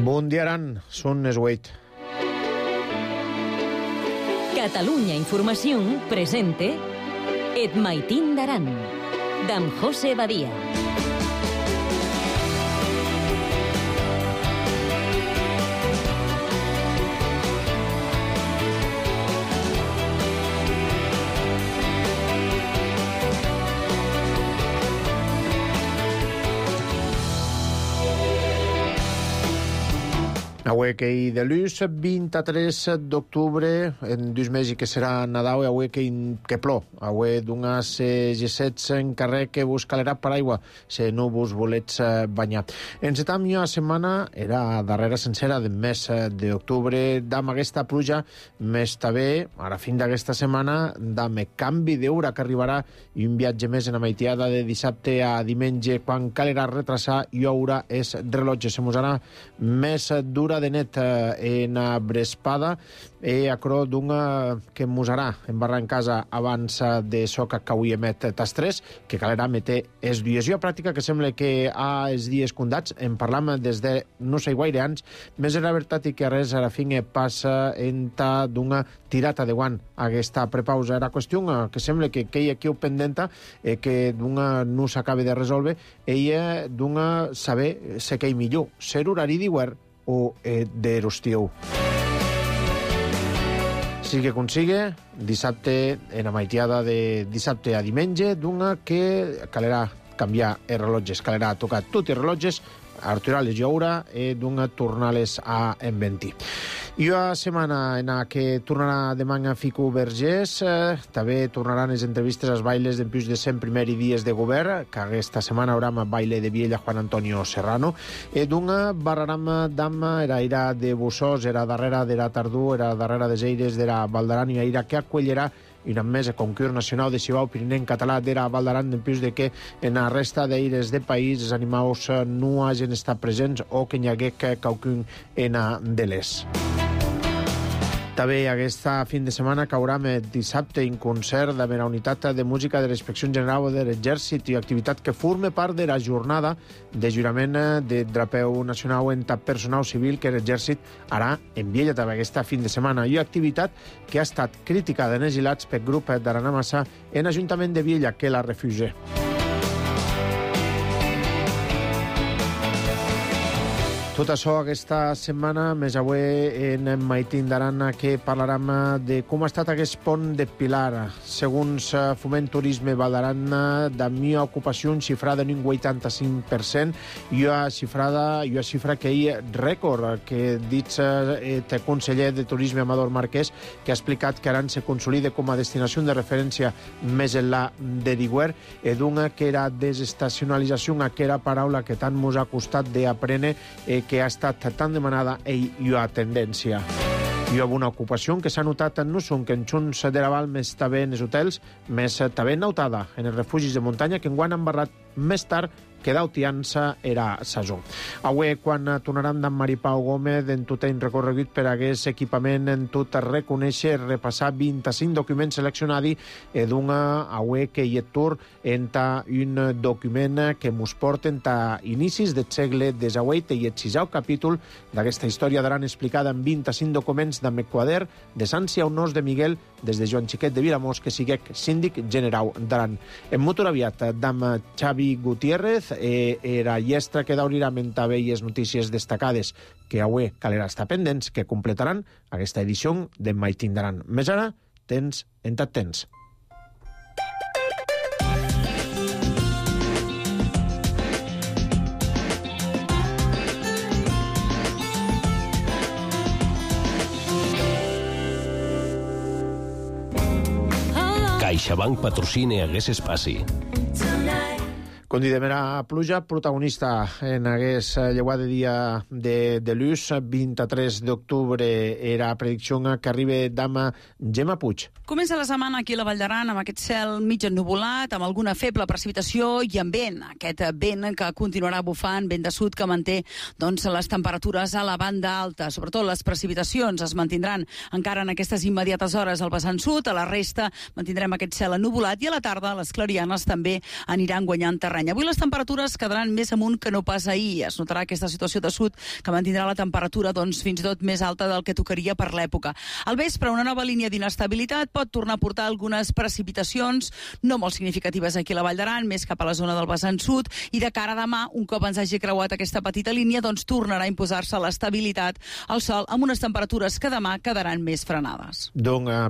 Bon dia, Aran. Són les 8. Catalunya Información presente Et Maitín d'Aran, d'en José Badia. Avui que hi de l'ús, 23 d'octubre, en 2 mesos que serà Nadal, avui que plou. Avui d'unes G7 en carrer que vos calerà paraigua, si no vos volets banyar. Encetam una setmana, era darrera sencera del mes d'octubre, d'am aquesta pluja, més també, a la fin d'aquesta setmana, d'am canvi d'hora que arribarà i un viatge més en la maitiada de dissabte a diumenge, quan calerà retrasar i haurà és rellotge. Se mos anà més dura de net en Brespada e acro d'una que musarà en barra en casa abans de soca que avui emet tas 3, que calerà meter es diusió pràctica que sembla que ha els dies condats. En parlam des de no sé gaire anys, més era veritat i que res a la fin passa enta d'una tirata de guant aquesta prepausa. Era qüestió que sembla que hi ha aquí pendenta que d'una no s'acabe de resolver ella d'una saber se que hi millor, ser horari d'hivern o d'estiu. Sigui que consigue, dissabte, en la maitiada de dissabte a diumenge, d'una que calerà canviar els rellotges, calerà tocar tots els rellotges, arturales i haurà, d'una tornar-les a enventir. I una setmana en què tornarà demà a Fico Vergés, també tornaran les entrevistes als bailes d'en plus de 100 primer i dies de govern, que aquesta setmana haurà baile de Viella Juan Antonio Serrano, d'una barraram d'ama, era ira de Bussós, era darrere de la Tardú, era darrere de Zeires, era Valdaran, i ira que acollerà i una mesa concurs nacional de Cibau Pirineu en català d'era Valdaran, en plus de que en la resta d'aires de país els animals no hagin estat presents o que n'hi hagués qualcun en de les. També aquesta fin de setmana caurà dissabte un concert de la unitat de música de la Inspecció General de l'Exèrcit i activitat que forma part de la jornada de jurament de drapeu nacional en personal civil que l'Exèrcit harà en Viella també aquesta fin de setmana. I activitat que ha estat criticada en exilats pel grup d'Arana Massa en l'Ajuntament de Viella, que la refugia. Tot això aquesta setmana, més avui en Maitín d'Aran, que parlarem de com ha estat aquest pont de Pilar. Segons Foment Turisme Valdaran, de mi ocupació xifrada en un 85%, i una xifra que hi rècord, que dit el conseller de Turisme Amador Marquès, que ha explicat que Aran se consolida com a destinació de referència més enllà de Diguer, d'una que era desestacionalització, que era paraula que tant mos ha costat d'aprendre, que ha estat tan demanada i ha tendència. Hi ha una ocupació que s'ha notat no són que en Junts de Raval més també en els hotels, més també notada en els refugis de muntanya, que enguany han barrat més tard que d'autiança era saison. Avui, quan tornaran d'en Maripau Gómez en tot el recorregut per aquest equipament, en tot reconèixer, repassar 25 documents seleccionats, d'una avui que hi ha tour entre un document que mos porten a inicis del segle XVIII i el 6è capítol d'aquesta història d'Aran explicada en 25 documents d'en quader de Sància Honors de Miguel des de Joan Xiquet de Vilamós, que siguec síndic general d'Aran. En motor aviat d'en Xavi Gutiérrez, era llestra que daurirà també les notícies destacades que avui calera estar pendents, que completaran aquesta edició de Maitín d'Aran. Més ara, tens en tot temps. CaixaBank patrocina hagués espaci. Condidem era pluja, protagonista en hagués lleuà de dia de l'ús, 23 d'octubre era predicció que arriba dama Gemma Puig. Comença la setmana aquí a la Vall d'Aran amb aquest cel mig ennuvolat, amb alguna feble precipitació i amb vent. Aquest vent que continuarà bufant, vent de sud que manté les temperatures a la banda alta. Sobretot les precipitacions es mantindran encara en aquestes immediates hores al vessant sud. A la resta mantindrem aquest cel ennuvolat i a la tarda les clarianes també aniran guanyant terreny. Mediterrani. Avui les temperatures quedaran més amunt que no pas ahir. Es notarà aquesta situació de sud que mantindrà la temperatura fins i tot més alta del que tocaria per l'època. Al vespre, una nova línia d'inestabilitat pot tornar a portar algunes precipitacions, no molt significatives aquí a la Vall d'Aran, més cap a la zona del vessant sud, i de cara a demà, un cop ens hagi creuat aquesta petita línia, tornarà a imposar-se l'estabilitat al sol amb unes temperatures que demà quedaran més frenades.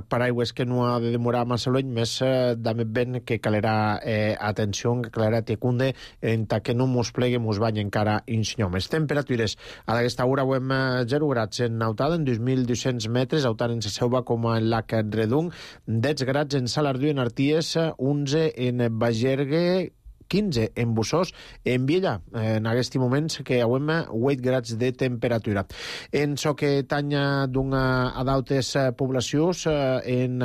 Paraigües que no ha de demorar massa l'any, més també ben que calerà atenció, que calerà tecunde, en que no mos plegue, mos bany encara insinyom. Les temperatures a aquesta hora ho hem 0 grads en Nautada, en 2.200 metres, Autar en Seseuva com en Lac Redung, 10 grads en Salardú, en Arties, 11 en Bagergue, 15 en Bussós, en Viella, en aquest moment que hem 8 grads de temperatura. En so que tanya d'una a d'altres poblacions, en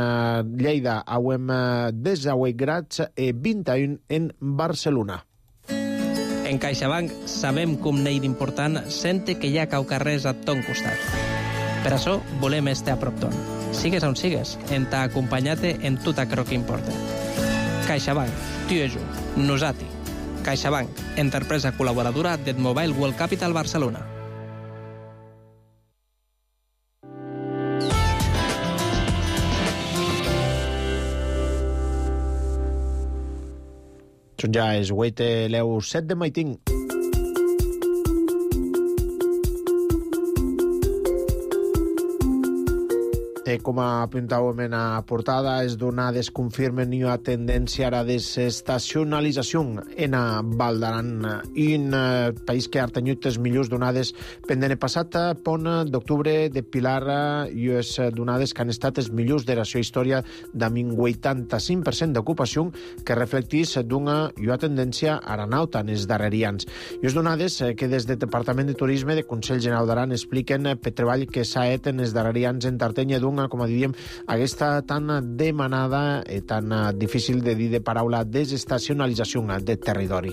Lleida hem 18 grads i 21 en Barcelona. En CaixaBank sabem com n'hi d'important sente que hi ha caucarrers a ton costat. Per això volem estar a prop ton. Sigues on sigues, en t'ha acompanyat en tot aquello que importa. CaixaBank, tu i jo, nosati. CaixaBank, empresa col·laboradora del Mobile World Capital Barcelona. Són ja els 8 leu 7 de maiting. Com apuntàvem en la portada, les donades confirmen una tendència a la desestacionalització en la Val d'Aran, un país que ha tingut les millors donades pendent el passat pont d'octubre de Pilar i les donades que han estat les millors de la seva història amb un 85% d'ocupació que reflecteix d'una tendència aranauta en els darrers anys. I les donades que des del Departament de Turisme del Consell General d'Aran expliquen per treball que s'ha fet en els darrers anys en Tartenya d'una, com diríem, aquesta tan demanada i tan difícil de dir de paraula desestacionalització de territori.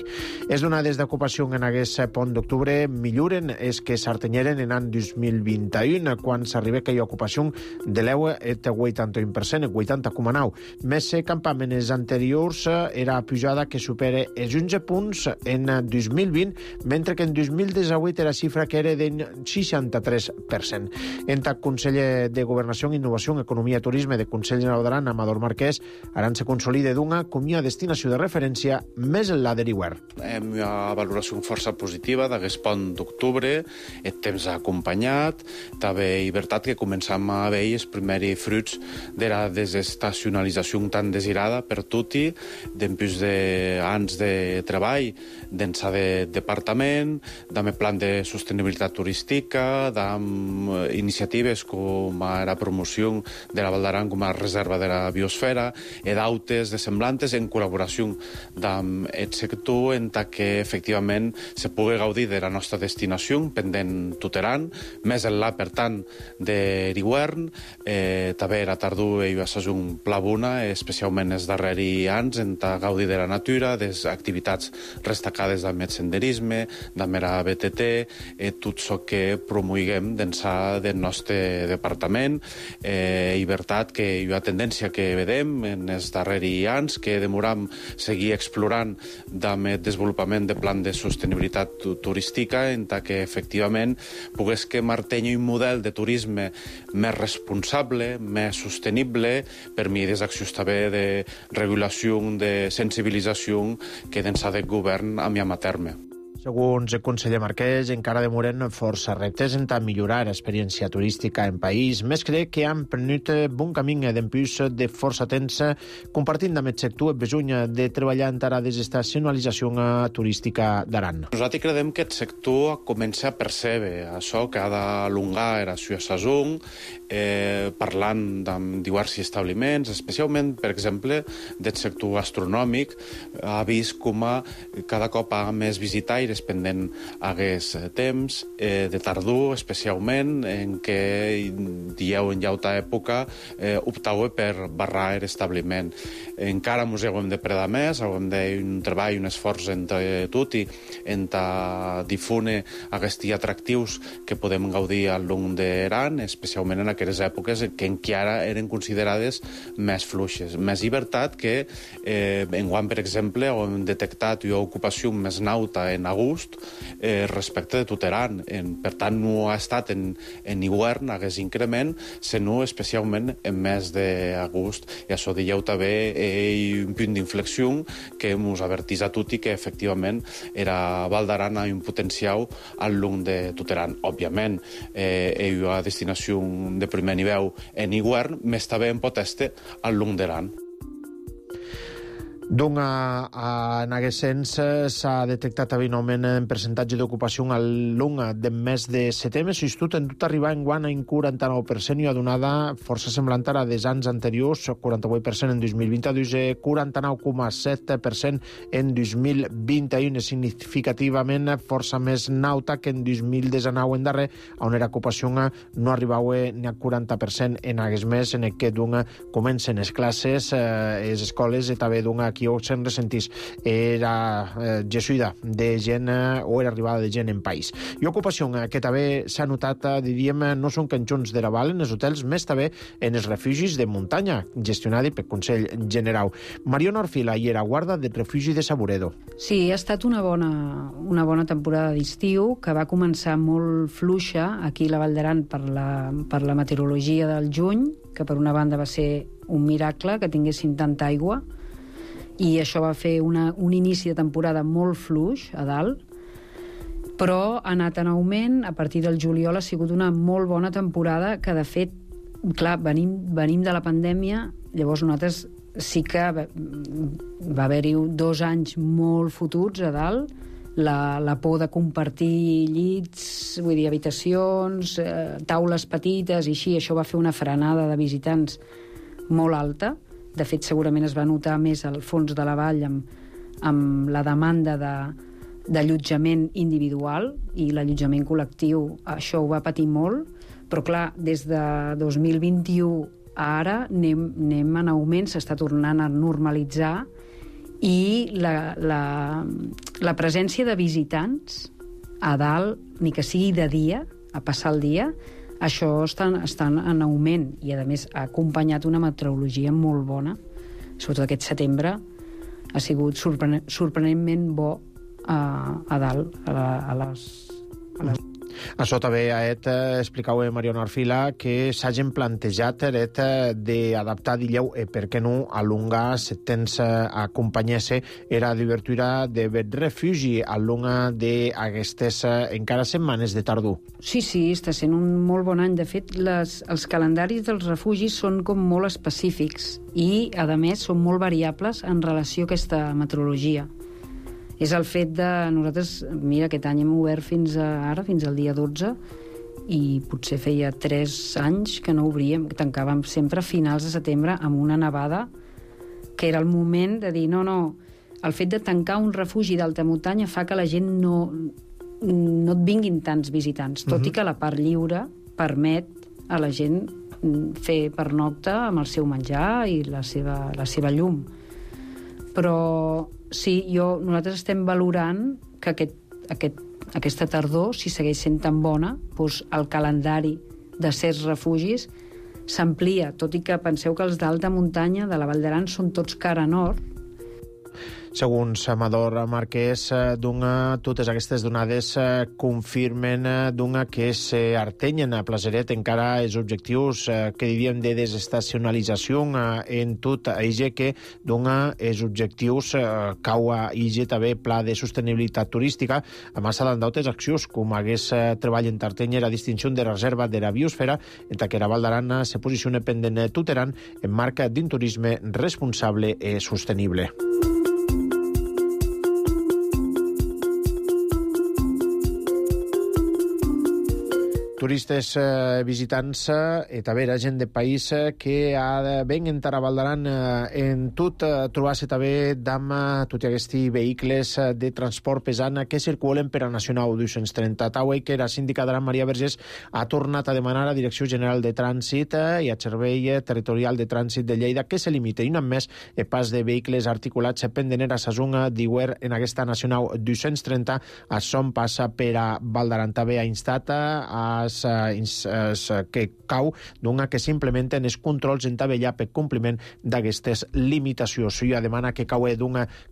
Les donades d'ocupació en aquest pont d'octubre milloren és que s'artenyeren en l'any 2021, quan s'arriba aquella ocupació de l'EUA el 81%, el 80,9%. Més campaments anteriors era pujada que supera els 11 punts en 2020, mentre que en 2018 era xifra que era del 63%. En el conseller de Governació, Innovació, Economia i Turisme del Consell General d'Aran, Amador Marquès, Aran se consolida d'una com una destinació de referència més enllà de l'hivern. Hem una valoració força positiva d'aquest pont d'octubre, el temps ha acompanyat, també és veritat que començam a veure els primers fruits de la desestacionalització tan desirada per tutti, d'empús d'anys de treball, d'ençà de departament, d'ame plan de sostenibilitat turística, d'am iniciatives com la promoció de la Val d'Aran com a reserva de la biosfera i d'autes de semblantes en col·laboració amb el sector en que efectivament se pugui gaudir de la nostra destinació pendent tot l'any, més enllà, per tant, de l'hivern. També la tardor hi va ser un pla bona, especialment els darrers anys, en gaudir de la natura, de les activitats destacades del senderisme, de la BTT, tot això que promoguem d'ençà del nostre departament. I veritat que hi ha tendència que vedem en els darrers anys que demoram seguir explorant amb el desenvolupament de plan de sostenibilitat turística en que efectivament pogués que martenyi un model de turisme més responsable, més sostenible, per mesures d'accions també de regulació, de sensibilització que d'ençà del govern a mi a terme. Segons el conseller Marquès, encara demoren força reptes en millorar l'experiència turística en país. Més crec que han prenut bon camí d'empús de força temps compartint amb el sector el besony de treballar en la desestacionalització turística d'Aran. Nosaltres creiem que el sector comença a percebre això que ha d'alongar la seva saison, parlant amb diversos establiments, especialment, per exemple, del sector gastronòmic, ha vist com cada cop ha més visitaires es pendent hagués temps, de tardor especialment, en què dieu en llauta època optau per barrar l'establiment. Encara mos hem de predar més, hem de un treball, un esforç entre tot i entre difune aquests atractius que podem gaudir al long d'Aran, especialment en aquelles èpoques que encara eren considerades més fluixes. Més llibertat que enguany, per exemple, hem detectat una ocupació més nauta en agost respecte de tot Aran. Per tant, no ha estat en hivern aquest increment, sinó especialment en mes d'agost. I això dieu també un punt d'inflexió que ens avertís a tots que efectivament era Val d'Aran a un potencial al long de tot Aran. Òbviament, és una destinació de primer nivell en hivern, més també en poteste al long d'Aran. En aquest sens s'ha detectat un augment en percentatge d'ocupació al long del mes de setembre. S'institut en tot arribar en guany en 49% i ha donada força semblant a dels anys anteriors, 48% en 2022 i 49,7% en 2021, significativament força més nauta que en 2019 en darrer, on la ocupació no arribava ni a 40% en aquest mes, en què comencen les classes, les escoles i també aquí se'n ressentís era jesuïda de gent o era arribada de gent en país. I ocupació que també s'ha notat, diríem, no són canxons de la Val en els hotels, més també en els refugis de muntanya, gestionats pel Consell General. Mariona Orfila i era guarda del refugi de Saburedo. Sí, ha estat una bona temporada d'estiu, que va començar molt fluixa aquí a la Val d'Aran per la meteorologia del juny, que per una banda va ser un miracle que tinguessin tanta aigua, i això va fer un inici de temporada molt fluix a dalt, però ha anat en augment. A partir del juliol ha sigut una molt bona temporada que, de fet, clar, venim de la pandèmia, llavors nosaltres sí que va haver-hi 2 anys molt fotuts a dalt, la por de compartir llits, vull dir, habitacions, taules petites i així, això va fer una frenada de visitants molt alta. De fet, segurament es va notar més al fons de la vall amb la demanda d'allotjament individual i l'allotjament col·lectiu. Això ho va patir molt, però clar, des de 2021 a ara anem en augment, s'està tornant a normalitzar i la presència de visitants a dalt, ni que sigui de dia, a passar el dia, això està en augment i, a més, ha acompanyat una meteorologia molt bona. Sobretot aquest setembre ha sigut sorprenentment bo a dalt, a les... Això també explicava Mariona Orfila que s'hagin plantejat d'adaptar, digueu, per què no, alungar setents acompanyar-se era d'obertura de refugi alunga d'aquestes encara setmanes de tardor. Sí, està sent un molt bon any. De fet, els calendaris dels refugis són com molt específics i, a més, són molt variables en relació a aquesta meteorologia. És el fet de... Nosaltres, mira, aquest any hem obert fins al dia 12, i potser feia 3 anys que no obríem, tancàvem sempre a finals de setembre amb una nevada, que era el moment de dir, no, el fet de tancar un refugi d'alta muntanya fa que la gent no et vinguin tants visitants, tot i que la part lliure permet a la gent fer pernocta amb el seu menjar i la seva llum. Però sí, nosaltres estem valorant que aquesta tardor, si segueix sent tan bona, doncs el calendari de certs refugis s'amplia, tot i que penseu que els d'alta muntanya de la Val d'Aran són tots cara nord. Segons Amador Marquès, totes aquestes donades confirmen que s'artenyen a Placeret encara els objectius que diríem de desestacionalització en tot això que els objectius cau a això també pla de sostenibilitat turística, a més d'altres accions com hagués treball en tartenyer a distinció de reserva de la biosfera, en que la Val d'Aran se posiciona pendent tot Aran en marca d'un turisme responsable i sostenible. turistes visitants e també la gent de país que ven entrar a Val d'Aran en tot trobar-se també amb tots aquests vehicles de transport pesant que circulen per a Nacional 230. Tauei que la síndica d'Aran, Maria Vergés, ha tornat a demanar a Direcció General de Trànsit i a Servei Territorial de Trànsit de Lleida que se limiti un més el pas de vehicles articulats pendent a Sasung d'Iguer en aquesta Nacional 230 a son passa per a Val d'Aran. També ha instat que cau que s'implementen els controls en Tabellà per compliment d'aquestes limitacions. I demana que cau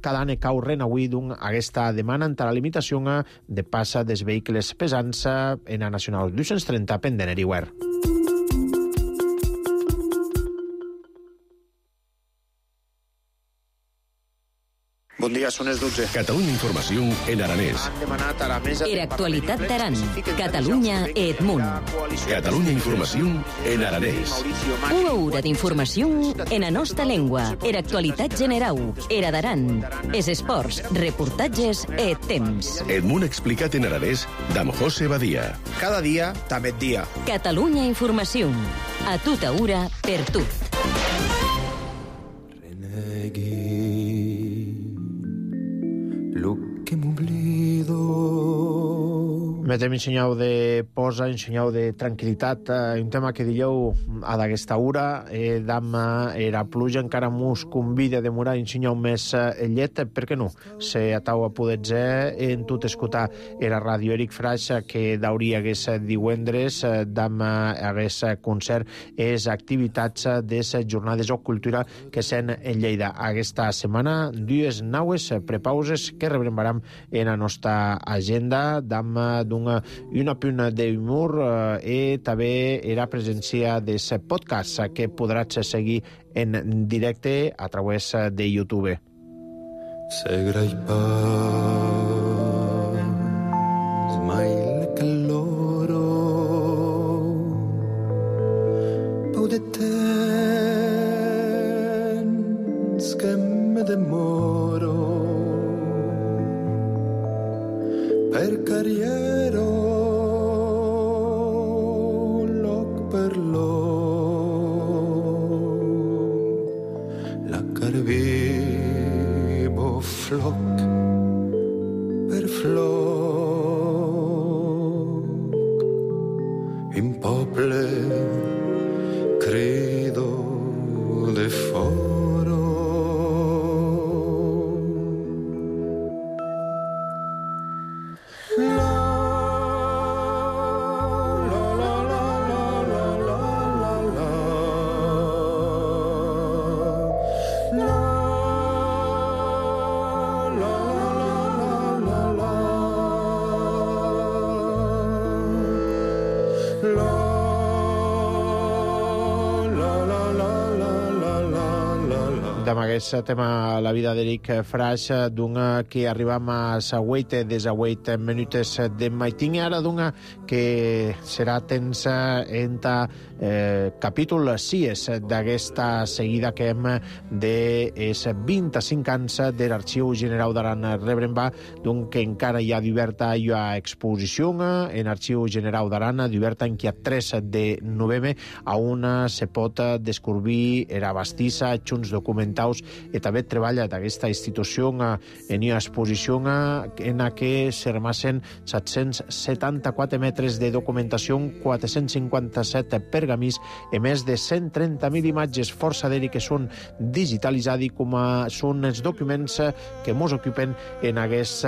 cada any cau renauir aquesta demana entre la limitació de passa dels vehicles pesants en la Nacional 230 pendent a Iguer. Bon dia, són les 12. Catalunya Informació en aranès. Han demanat a la mesa... Era actualitat d'Aran. Catalunya e Edmunt. Catalunya Informació en aranès. Una hora d'informació en la nostra llengua. Era actualitat generau. Era d'Aran. Es esports, reportatges e temps. Edmunt explicat en aranès d'Am José Badia. Cada dia, també dia. Catalunya Informació. A tota hora, per tot. Metem ensenyau de posa, ensenyau de tranquil·litat, un tema que dieu a d'aquesta hora, era pluja, encara mos convida a demorar ensenyau més llet, per què no? Se atau a poder en tot escoltar era ràdio Eric Fraix, que d'hauria hagués divendres, hagués concert, és activitats des jornades o cultura que sen en Lleida. Aquesta setmana, dues naues prepauses que rebrembaram en la nostra agenda, una punt d'humor i també era presència des podcast que podràs seguir en directe a través de YouTube. Segrai pas mai que loro pau de temps que me demoro per carriero loc per loc la carvivo floc per floc in poble credo de foro. Amb aquest tema la vida d'Eric Fraix, que arribam a sa 8 des a 8 minutes de maitín, i ara que serà temps en capítol 6 d'aquesta seguida que hem de 25 anys de l'Arxiu General d'Aran. Rebremba que encara hi ha diverta exposició en l'Arxiu General d'Aran, diverta en que a 3 de novembre a una se pot descobrir era bastissa, junts documentals i també treballa d'aquesta institució en una exposició en la que se remassen 774 metres de documentació, 457 pergamins i més de 130.000 imatges força d'ell que són digitalitzades, com són els documents que ens ocupen en aquest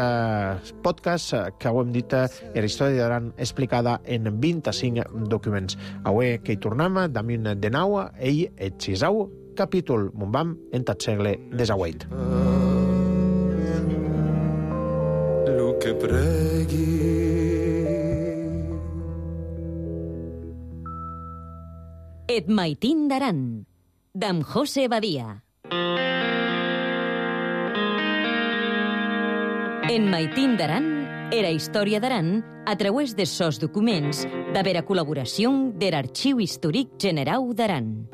podcast que ho hem dit, la història d'Aran explicada en 25 documents. Avui que hi tornem, damunt de nou, ell et xisau capítol Mumbam en tot segle XVIII. Lo que pregui Et maitín d'Aran, d'Am José Badia. En Maitín d'Aran era història d'Aran a través de sos documents de vera col·laboració de l'Arxiu Històric Generau d'Aran.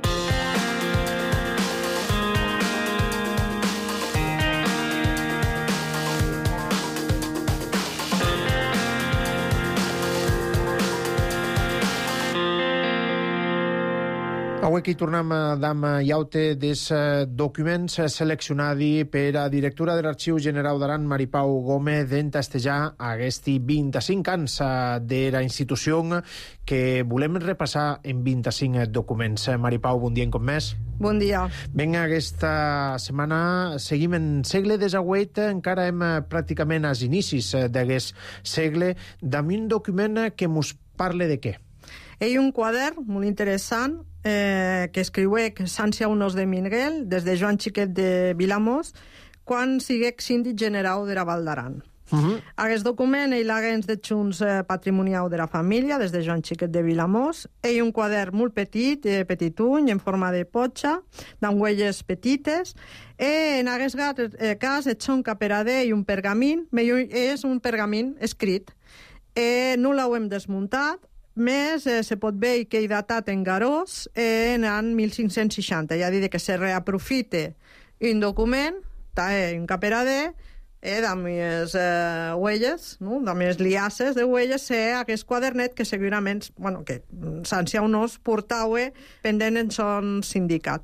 Avui aquí tornem d'am iaute des documents seleccionats per a directora de l'Arxiu General d'Aran, Maripau Gómez, d'entastejar aquests 25 anys de la institució que volem repassar en 25 documents. Maripau, bon dia com més. Bon dia. Vinga, aquesta setmana seguim en segle XVIII, encara hem pràcticament als inicis d'aquest segle, amb un document que mos parla de què? Hi ha un quadern molt interessant que escriuec Sanci Aunós de Miguel des de Joan Xiquet de Vilamós quan siguec síndic general de la Val d'Aran. Aquest document ell l'haguens de Junts patrimonial de la família des de Joan Xiquet de Vilamós. Hi ha un quadern molt petit, petituny, en forma de potxa, amb huelles petites. En aquest cas, et són caperador i un pergamin, és un pergamin escrit. No l'ho hem desmuntat, més se pot veure que he datat en Garós en l'any 1560. Ja dit que se reaprofite un document, un caperador, amb les huelles, amb les liasses de huelles, aquest quadernet que segurament que Sanci Aunós portava pendent en son sindicat.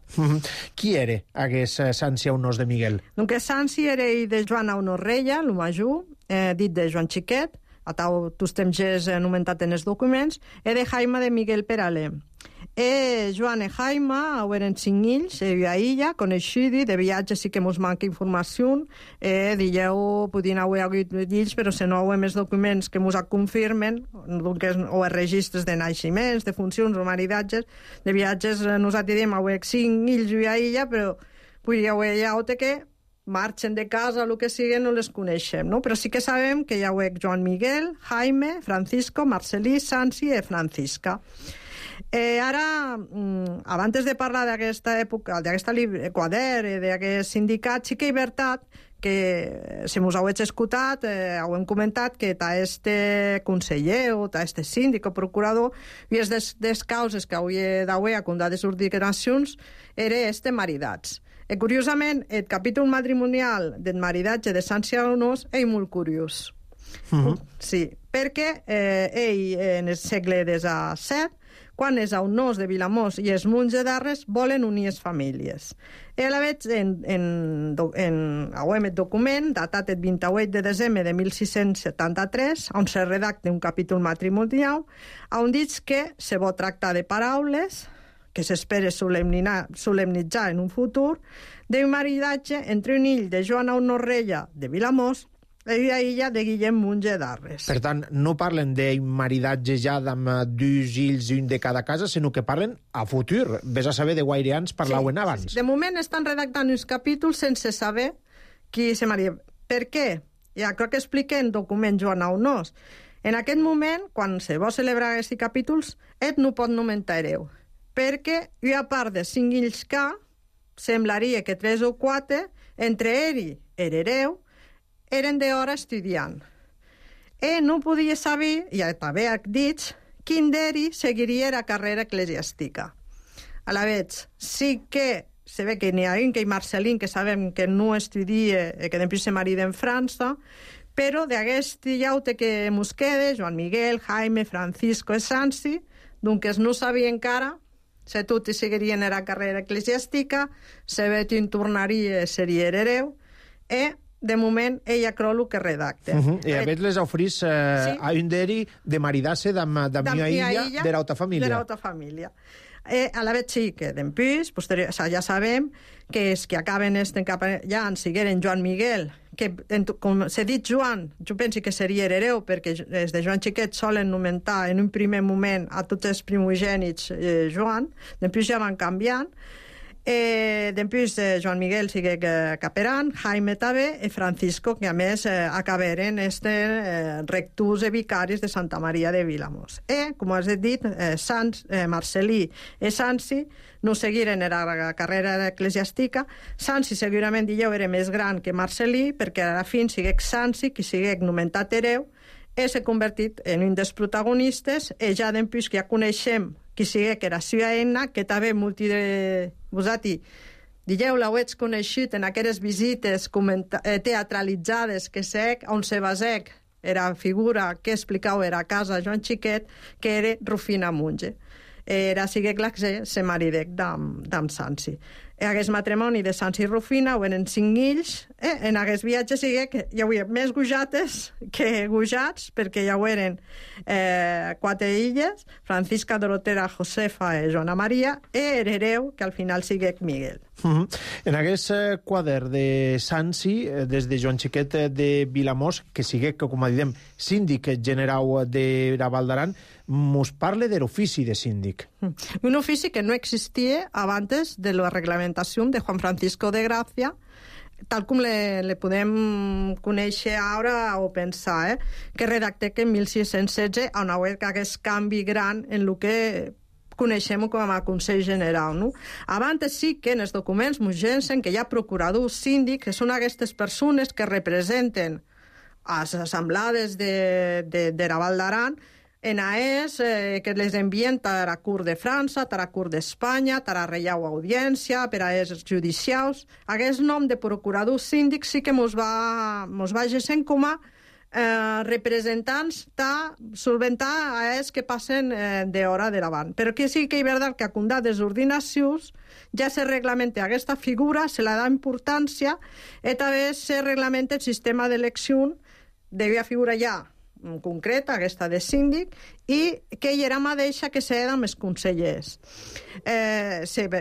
Qui era aquest Sanci Aunós de Miguel? Donc Sanci era de Joan Aunós Reia, el major, dit de Joan Xiquet, a tots temps és anomenat en els documents, de Jaime de Miguel Peralé. Joan i Jaime eren 5 fills, a illa, coneixidi, de viatge sí que mos manca informació, dieu, podien haver hagut fills, però si no hi ha més documents que mos confirmen, o els registres de naixements, de funcions o maridatges, de viatges, nosaltres diem, haver 5 fills a illa, però podria haver hagut que marxen de casa, el que sigui, no les coneixem, no? Però sí que sabem que hi ha Joan Miguel, Jaime, Francisco, Marcelí, Sanci i Francisca. Ara, abans de parlar d'aquesta època, d'aquest quadern, d'aquest sindicat, sí que és veritat que, si us heu escoltat, heu comentat que este conseller o este síndic o procurador, i és des causes que hauria d'haver a contar de sus declaracions, era maridats. Curiosament, el capítol matrimonial del maridatge de Sanci Aunós és molt curiós. Sí, perquè ell, en el segle XVII, quan els Aunós de Vilamós i els Munts de Darres volen unir les famílies. A la veig en el document, datat el 28 de desembre de 1673, on se redacta un capítol matrimonial, on diu que se vol tractar de paraules que s'espera solemnitzar en un futur, d'un maridatge entre un fill de Joan Aunós Reia de Vilamós i la illa de Guillem Munts de Darres. Per tant, no parlen d'un maridatge ja amb 2 fills, un de cada casa, sinó que parlen a futur. Ves a saber de guaire anys parlaven abans. De moment estan redactant uns capítols sense saber qui se maria. Per què? Ja crec que explica en document Joan Aunós. En aquest moment, quan se vol celebrar aquests capítols, no pot nomenar hereu. Perquè, a part de 5 fills que, semblaria que 3 o 4, entre ell i hereu, eren d'hora estudiant. No podia saber, ja també dit, quin d'ells seguiria la carrera eclesiàstica. A la vegada, sí que se ve que n'hi ha un, que és Marcelín, que sabem que no estudia, que després se marida en França, però d'aquest llaute que mos queda, Joan Miguel, Jaime, Francisco i Sanci, doncs no sabia encara si tots seguirien la carrera eclesiàstica, si Betín tornaria a ser hereu, de moment ella creu el que redacta. I a veure les oferís a un d'ells de maridar-se d'una illa de l'altra família. De l'altra família. A la vegada sí que d'empús, ja sabem que els que acaben ja en sigueren Joan Miguel, que com s'ha dit Joan, jo penso que seria hereu, perquè els de Joan Xiquet solen nomenar en un primer moment a tots els primogènits Joan, d'empús ja van canviant. Després Joan Miguel sigue caperan, Jaime també, i Francisco, que a més acabaren rectors i vicaris de Santa Maria de Vilamós. Com has dit, Marcelí i Sanci no seguiren la carrera eclesiàstica. Sanci segurament era més gran que Marcelí, perquè a la fi siguec Sanci, que siguec nomenat hereu, s'ha convertit en un dels protagonistes, i ja després que ja coneixem qui sigui que era seva eina, que també molti de vosaltres l'heu coneixut en aquelles visites teatralitzades que sec, on se basec era figura que explicava era a casa Joan Xiquet, que era Rufina Munge. era siguec la que se maridec d'am Sansi. Aquest matrimoni de Sansi i Rufina ho eren 5 ills, en aquest viatge siguec que hi havia més gujates que gujats, perquè hi eren 4 illes, Francisca, Dorotera, Josefa i Joana Maria, i hereu, que al final siguec Miguel. En aquest quadern de Sansi, des de Joan Xiquet de Vilamós, que siguec, com a diem, síndic generau de la Val d'Aran, mos parle de l'ofici de síndic. Un ofici que no existia abans de la reglamentació de Juan Francisco de Gracia, tal com le podem conèixer ara o pensar, que redactec en 1616 on hi ha aquest canvi gran en el que coneixem com a Consell General. No? Abans sí que en els documents m'ugensen que hi ha procuradors síndics, que són aquestes persones que representen a les assemblades de la Val d'Aran, en AES, que les envien per a Curt de França, per a Curt d'Espanya, per a Reial Audiència, per a AES judicials. Aquest nom de procurador síndic sí que mos va gesent com a representants de solventar AES que passen d'hora de davant. Però que sí que és veritat que a condat des ordinacions ja se reglamenta aquesta figura, se la da importància, i també se reglamenta el sistema d'elecció devia figura ja concreta, aquesta de síndic, i que ell era mateixa que s'era amb els consellers.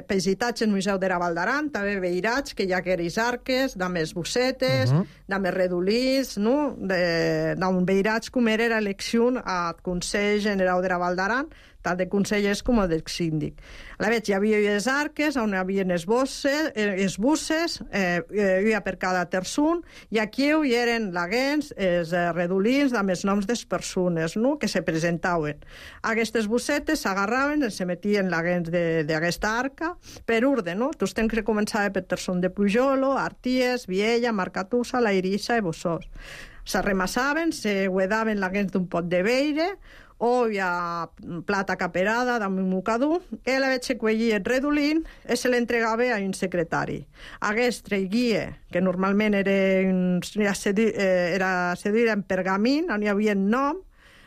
Visitats al Museu de la Val d'Aran, també veirats que hi ha aquells arques, de més bossetes, de més redolins, no? D'on veirats com era l'elecció al Consell General de la Val d'Aran, tant de consellers com del síndic. A la veig, hi havia les arques, on hi havia els busses, hi havia per cada terçun, i aquí hi eren laguens, els redolins, amb els noms de les persones, no?, que se presentaven. Aquestes bussetes s'agarraven, se metien laguens d'aquesta arca, per orde, no? Tots temps que començava per terçun de Pujolo, Arties, Viella, Marcatussa, La Irissa i Bossós. S'arremassaven, se guedaven laguens d'un pot de veire, o hi ha plata caperada d'un mocador, i la veig que collia el redolín i se l'entregava a un secretari. Aquest traguia, que normalment era cedir en pergamín, on hi havia nom,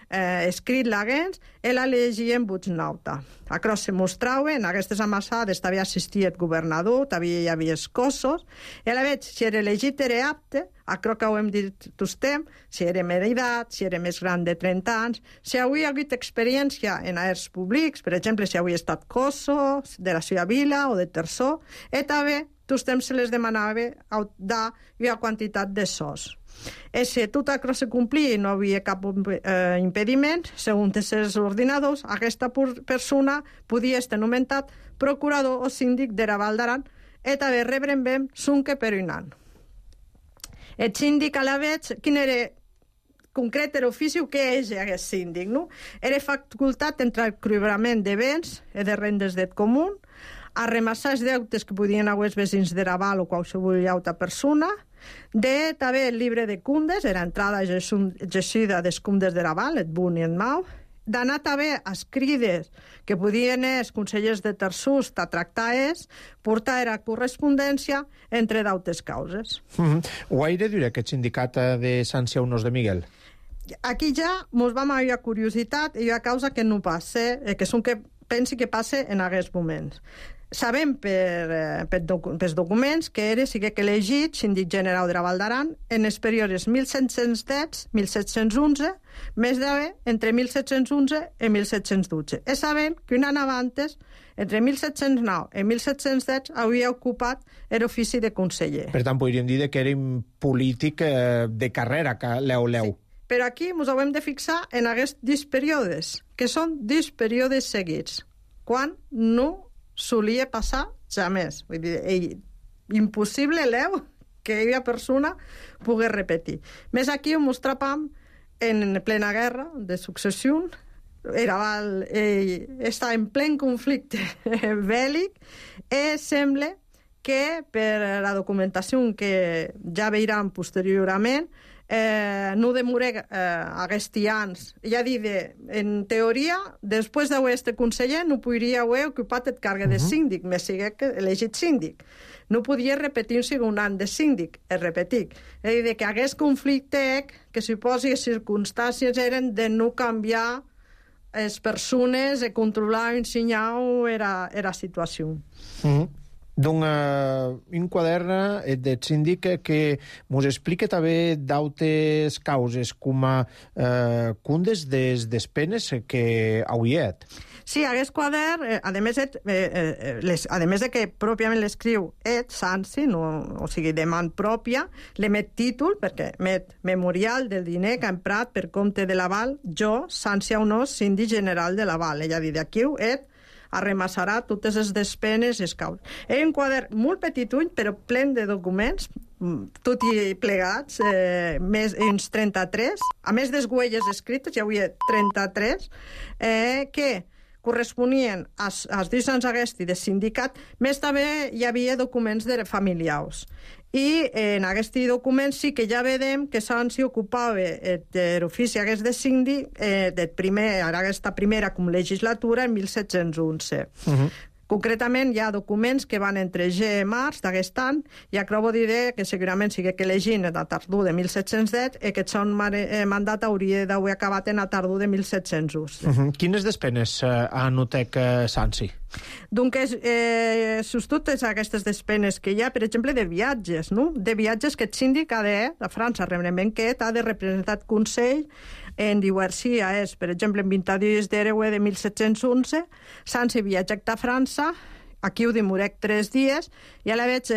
escrit laguens, i la llegia en voz nauta. Acrò se mostraven, aquestes amassades també assistia el governador, també hi havia els cossos, i a la veig, si era elegit era apte, acrò que ho hem dit tots temps, si era d'edat, si era més gran de 30 anys, si havia hagut experiència en aers públics, per exemple, si havia estat cosso, de la seva vila o de terçó, i també tots temps se les demanava una quantitat de sos. I si tot això se complia i no havia cap impediment, segons els ordinadors, aquesta persona podia estar nomenat procurador o síndic de la Val d'Aran i també rebren ben sunque per un any. El síndic a la veig, quin era concret l'ofici que és aquest síndic, no? Era facultat entre el cobrament de béns i de rendes del comú, arremassar els deutes que podien haver els veïns de la Val o qualsevol altra persona, de també el llibre de cundes, era entrada geixida dels cundes de la Val, et bun i et mau, d'anar també a crides que podien els consellers de terçús a tractar portar a correspondència entre d'altres causes. Guaire dura aquest sindicat de Sansi a Unos de Miguel? Aquí ja mos vam haver curiositat i hi ha causa que no passa, que són que pensi que passa en aquests moments. Sabem pels documents que sigué elegit síndic general de la Val d'Aran en els períodes 1710-1711, més d'haver entre 1711 i 1712. I sabem que un any abans, entre 1709 i 1710, havia ocupat l'ofici de conseller. Per tant, podríem dir que era un polític de carrera, que leu. Sí. Però aquí ens haurem de fixar en aquests 10 períodes, que són 10 períodes seguits, quan no solia passar jamais. Vull dir, impossible, que aquella persona pugui repetir. Més aquí ho mostràvem en plena guerra de successió, està en plen conflicte bèl·lic, i sembla que per la documentació que ja veurem posteriorment, no demoré aquests anys. Ja dir, en teoria, després d'haver estat conseller, no podria haver ocupat el càrrec de síndic, més sigui elegit síndic. No podia repetir un segon any de síndic, repetir. És a dir, que aquest conflicte, que suposi les circumstàncies eren de no canviar les persones controlaven signau era situació. Donc, un quadern del síndic que mos explica també d'altres causes, com cundes des penes que hauiet. Sí, aquest quadern, a més de que pròpiament l'escriu Sansi, o sigui, de man pròpia, l'emet títol, perquè emet memorial del diner que ha emprat per compte de l'aval, jo, Sansi Aunós, síndic general de l'aval. Ella dit, aquí arremassarà totes les despenes i els causes. Era un quadern molt petitull, però plen de documents, tot i plegats, més uns 33, a més des huelles escrites, hi havia 33, que corresponien als dius aquest i del sindicat, més també hi havia documents de familiars. I en aquest document sí que ja vedem que Sansi ocupava l'ofici aquest de síndic aquesta primera com legislatura en 1711. Concretament, hi ha documents que van entre G i març d'aquest any, i acabo de dir que segurament sigui que llegint a tardor de 1710 i que el mandat hauria d'haver acabat en a tardor de 1711. Quines despenes anotec Sansi? Donc, sus totes aquestes despenes que hi ha, per exemple, de viatges, no? De viatges que el síndic ha de, a França, realment que ha de representar el Consell en diverses, per exemple, en 22 d'Hereu de 1711, Sansi viatja a França, aquí ho demorec 3 dies, i a la veig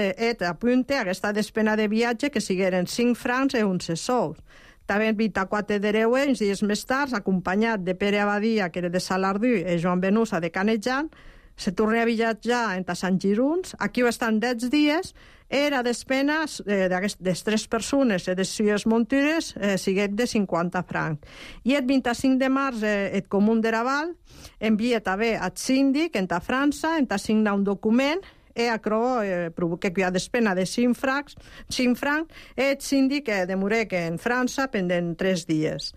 apunte aquesta despena de viatge que sigueren 5 francs i 11 sous. També el 24 d'Hereu, uns dies més tard, acompanyat de Pere Abadia, que era de Salardú, i Joan Benusa, de Canejan, se torna a viatjar entre Sant Giruns. Aquí estan 10 dies. Era despena de 3 persones i de 6 muntures siguet de 50 francs. I el 25 de març el Comú de Raval envia també al síndic a França, signar un document e acro provoca que hi ha despena de 5 francs, el síndic demorec en França pendent 3 dies.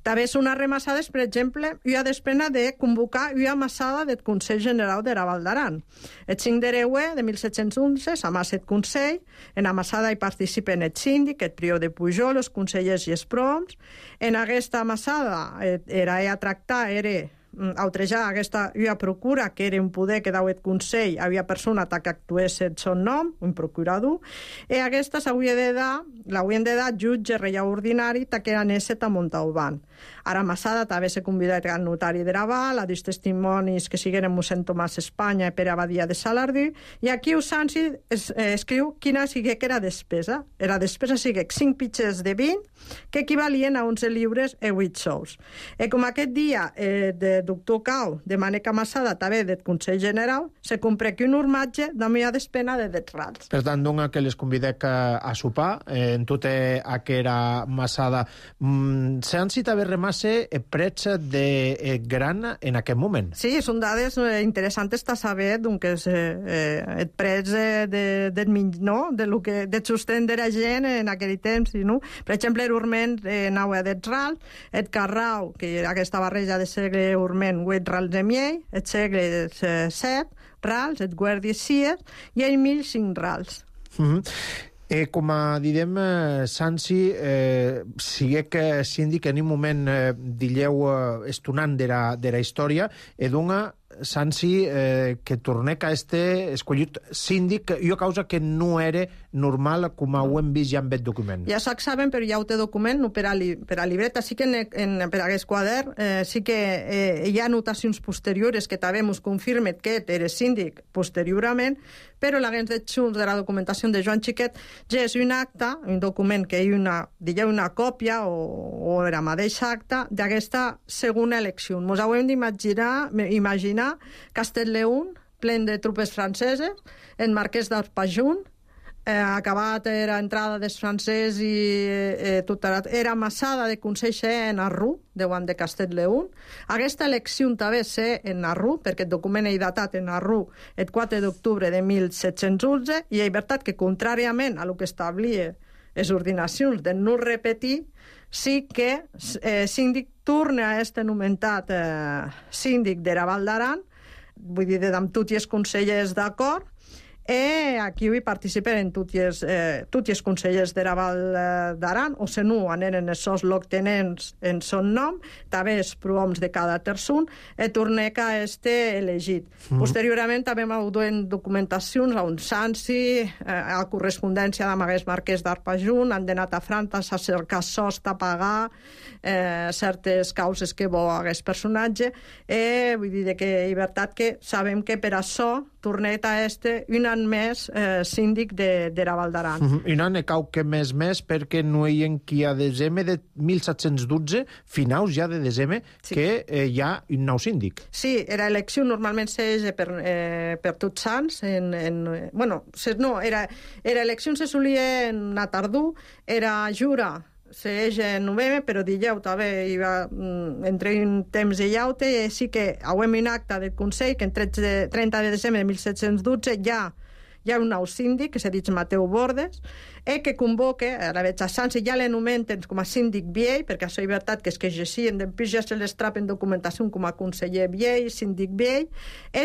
També són arremassades, per exemple, hi ha despena de convocar una amassada del Consell General de Raval d'Aran. El 5 d'Hereu de 1711 s'amassa el Consell, en amassada hi participen el síndic, el prior de Pujol, els consellers i els proms. En aquesta amassada era a tractar, era outrejar aquesta procura, que era un poder que dau el Consell, havia persona que actués el seu nom, un procurador, i aquesta l'haurien de dar jutge reial ordinari que anés a Montauban. Ara amassada també s'ha convidat al notari de Raval, a dos testimonis que sigueren mossèn Tomàs Espanya i Pere Abadia de Salardú, i aquí Sansi escriu quina sigui que era despesa. Era despesa sigui 5 pitxers de 20, que equivalien a 11 lliures i 8 sous. I com aquest dia de doctor Cau de Mànec amassada també del Consell General, se comprèc un urmatge d'una mica despena de 10 rals. Per tant, dona que les convidec a sopar en tota aquella amassada. Sansi també remasse prets de gran en aquest moment. Sí, són dades interessants a saber que els prets de sostén de la gent en aquell temps. Per exemple, l'urment anava a 10 rals, el carrau, que era aquesta barreja de segle urment, 8 rals de miell, el segle 7 rals, el guàrdia 6 i el 1005 rals. Com a direm, Sansi, siguec síndic en un moment, dilleu, estonant de la història, e dona Sansi que tornec a escollit síndic, i a causa que no era normal com ho hem vist ja en aquest document. Ja saben, però ja ho té document, no per a libreta. Sí que per a aquest quadern sí que hi ha anotacions posteriors que també ens confirmen que era síndic posteriorment, però l'agent de Junts de la documentació de Joan Xiquet ja és un acte, un document que hi ha una còpia o era mateix acte d'aquesta segona elecció. Ens ho hem d'imaginar Castellleun, plen de tropes franceses, en Marquès d'Arpajon, acabat era entrada dels francès i era amassada de Consell en Arrú, davant de Castellleun. Aquesta elecció també sé en Arrú, perquè el document és datat en Arrú el 4 d'octubre de 1711, i és veritat que, contràriament a el que establia les ordinacions de no repetir, sí que síndic torna a este nomentat síndic de Raval d'Aran, vull dir, amb tots els consellers d'acord, Aquí hi participen tots els consellers de la Val d'Aran, o se no aneren els loctenents en son nom, també els prohoms de cada terçun, torneca elegit. Posteriorment també m'ha duen documentacions a un sansi, a correspondència d'amaguers marquès d'Arpajun, han anat a França a cercar sost a pagar certes causes que bo hagués personatge, vull dir que és veritat que sabem que per això tornet a un any més síndic de la Val d'Aran. Un any cau que més perquè no hi ha qui a desembre de 1712, finals ja de desembre, que hi ha un nou síndic. Sí, era elecció normalment s'eix per tots sants. Era elecció se solia en a tardor, era jura s'eix en novembre, però dijous també hi va entre un temps i llaute, i sí que hauem un acte del Consell que en 30 de desembre de 1712 hi ha un nou síndic, que s'ha dit Mateu Bordes, que convoca, a la veig a Sança, ja l'anomenten com a síndic viell, perquè això és veritat que és que exercien, després ja se les trap en documentació com a conseller viell, síndic viell,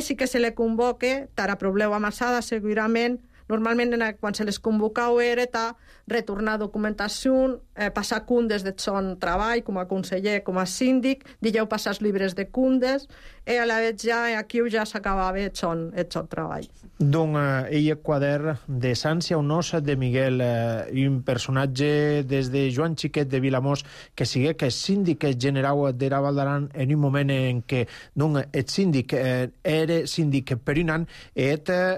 sí que se le convoca, tara probleu amassada, segurament, normalment quan se les convocau era retornar documentació, passar cundes de son treball com a conseller, com a síndic, dijau passar els llibres de cundes, a la vegada ja aquí ja s'acabava el son treball. Donc, ell quader de Sància, un os de Miguel, un personatge des de Joan Xiquet de Vilamós, que sigue que és síndic general de la Val d'Aran en un moment en què el síndic era síndic per un any,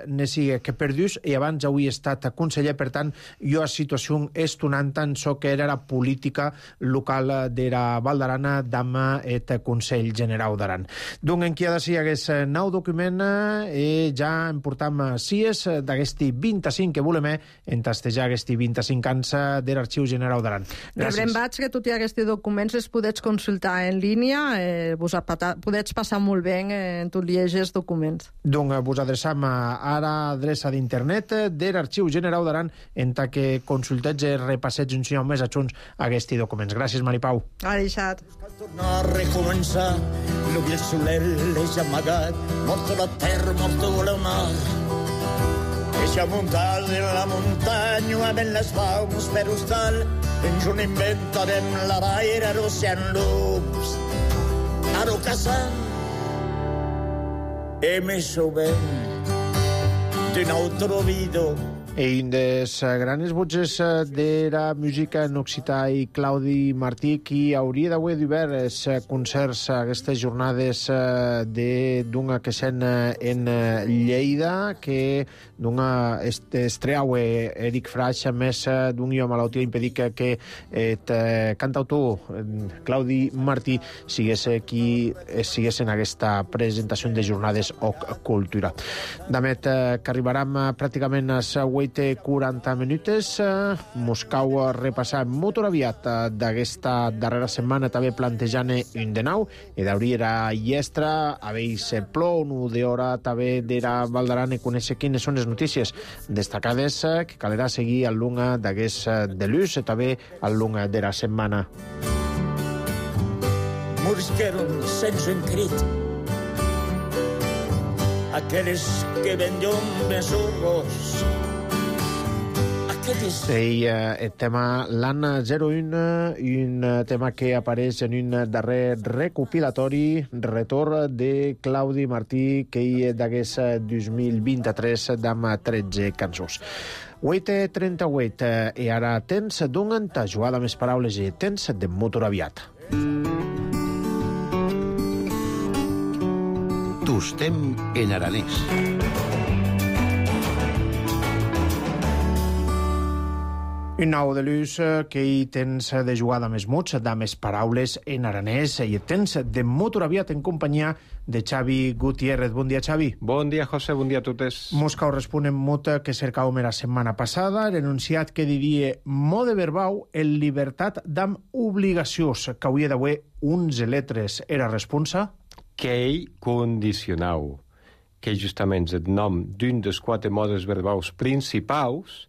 ne sigue que per dius, i abans avui he estat conseller, per tant, jo a situació estonant tant so que era la política local de la Val d'Aran d'ama el Consell General d'Aran. Donc, en qui ha de ser aquest nou document, ja em portam sies d'aquesti 25 que volem entastejar aquesti 25 anys de l'Arxiu General d'Aran. Rebrem vaig que tots aquests documents els podets consultar en línia, podets passar molt bé en tot llegir documents. Donc, vos adreçam a l'adreça d'internet de l'Arxiu General d'Aran en que consultets i repassets un sinó més adjunts aquests documents. Gràcies, Maripau. Ha deixat. Cal tornar a recomençar, l'ull el soler l'eix amagat, morto la terra, morto la mar. Eixa muntada en la muntanya, amb les baus per hostal, ens un inventarem la baira, l'ocean loops, aro caçant, més o ben d'un altre video. Un dels grans voces de la música en occità i Claudi Martí, qui hauria d'haver d'obert els concerts aquestes jornades d'una que sent en Lleida, que estreau Eric Fraix, a més d'un i malaltia impedit que el cantautor Claudi Martí sigués en aquesta presentació de jornades o cultura. Damet, que arribarem pràcticament a 40 minutes. Moscou repassar molt aviat d'aquesta darrera setmana, també plantejant un de nou, i d'hauria llestra, haver-se plou, un d'hora també de la Val d'Aran, i conèixer quines són les notícies destacades que calerà seguir al long d'aquest delús i també al long de la setmana. Murs que eren sense encrit, aquells que ven llum més urros. El tema l'any 01, un tema que apareix en un darrer recopilatori, retorn de Claudi Martí, que hi d'aquest 2023 d'am 13 cançons. 8:38, i ara temps d'un a jugar amb les paraules i temps de motor aviat. Tostem en aranès. Un nou de l'ús que hi tens de jugar amb els mots, amb les paraules en aranès, i tens de motor aviat en companyia de Xavi Gutiérrez. Bon dia, Xavi. Bon dia, José, bon dia a totes. Moscou respon en mot que cercàvem la setmana passada, l'enunciat que diria mode verbau en llibertat d'am obligacions, que hauria d'haver uns letres era responsa? Que ell condicionau, que justament és el nom d'un dels 4 modes verbaus principals,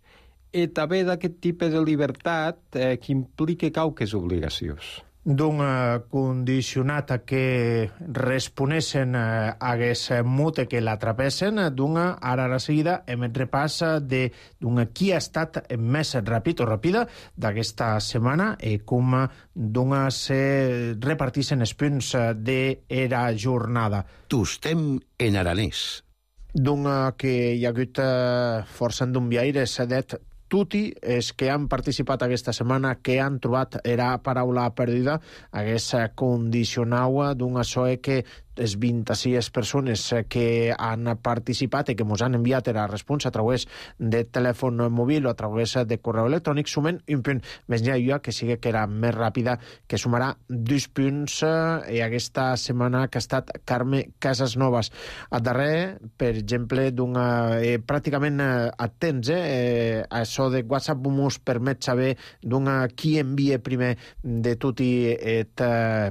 i també d'aquest tipus de llibertat que implica qualques obligacions. d'un condicionat que responessen hagués mute que l'atrapessen, d'una ara a la seguida hem et repàs d'un qui ha estat més ràpid o ràpida d'aquesta setmana i com d'una se repartissen els punts d'era jornada. Tostem en aranès. D'un que hi ha hagut força endombiaires, det tutti els que han participat aquesta setmana, que han trobat era paraula perdida, hagués condicionau d'una soe que les 26 persones que han participat i que ens han enviat la resposta a través de telèfon mòbil o a través de correu electrònic sumen un punt. Més enllà que sigui que era més ràpida, que sumarà 2 punts i aquesta setmana que ha estat Carme Casasnovas. A darrer, per exemple, pràcticament atents, això de WhatsApp mos permet saber qui envia primer de tot i et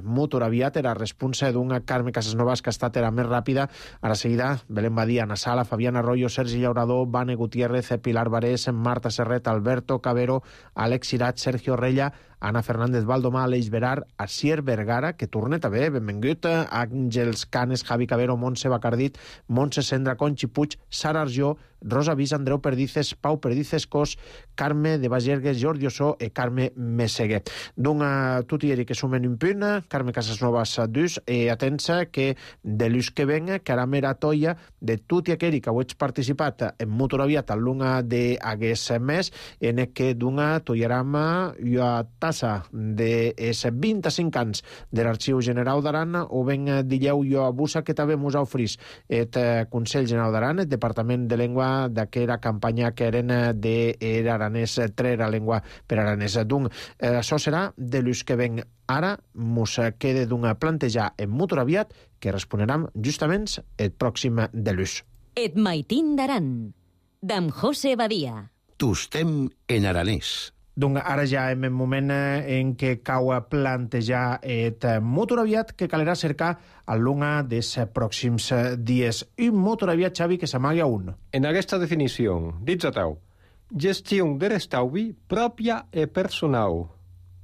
motor aviat, la resposta d'una Carme Casasnovas que ha estat més ràpida. Ara seguida, Belén Badia, Ana Sala, Fabián Arroyo, Sergi Llaurador, Vane Gutiérrez, Pilar Barés, Marta Serret, Alberto Cabero, Àlex Sirat, Sergio Rella, Ana Fernández Valdomà, Aleix Berar, Asier Vergara, que torna també, benvingut, Àngels Canes, Javi Cabero, Montse Bacardit, Montse Sendra, Conxi Puig, Sara Arjó, Rosa Vis, Andreu Perdices, Pau Perdices Cos, Carme de Bagergues, Jordi Ossó i Carme Meseguer. Tot i que sumen un punt, Carme Casasnovas 2, i atensa que de l'ús que venga, que ara mera toia de tot i aquell que ho ets participat en motor aviat a l'una d'hagués més, en que d'una toiaram a tassa de 25 anys de l'Arxiu General d'Aran, o ben dilleu jo abusa que també mos ofrís el Consell General d'Aran, el Departament de Llengua d'aquella campanya que eren d'aranès, trera llengua per aranès. Això serà de l'ús que ven. Ara mos queda d'una plantejar en motor aviat que responeram justament el pròxim de l'ús. Et maitin d'Aran, d'en José Badia. Tostem en aranès. Ara ja hem en moment en què cau a plantejar el motor aviat que calerà cercar a l'una dels pròxims dies. Un motor aviat, Xavi, que s'amaga un. En aquesta definició, dits a tau, gestió de l'estalvi pròpia i personal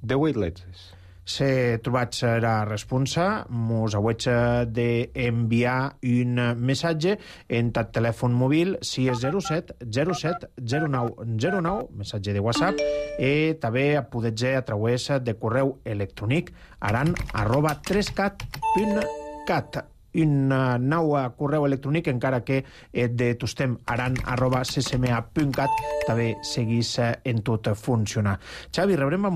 de 8 lletres. Se trobat la responsa, mos hauig d'enviar un missatge en el telèfon mòbil 607 07 09 09, missatge de WhatsApp, i també podeu a través de correu electrònic aran@3cat.cat. Un nou correu electrònic, encara que de tostem@ccma.cat també seguís en tot funcionar. Xavi, rebrem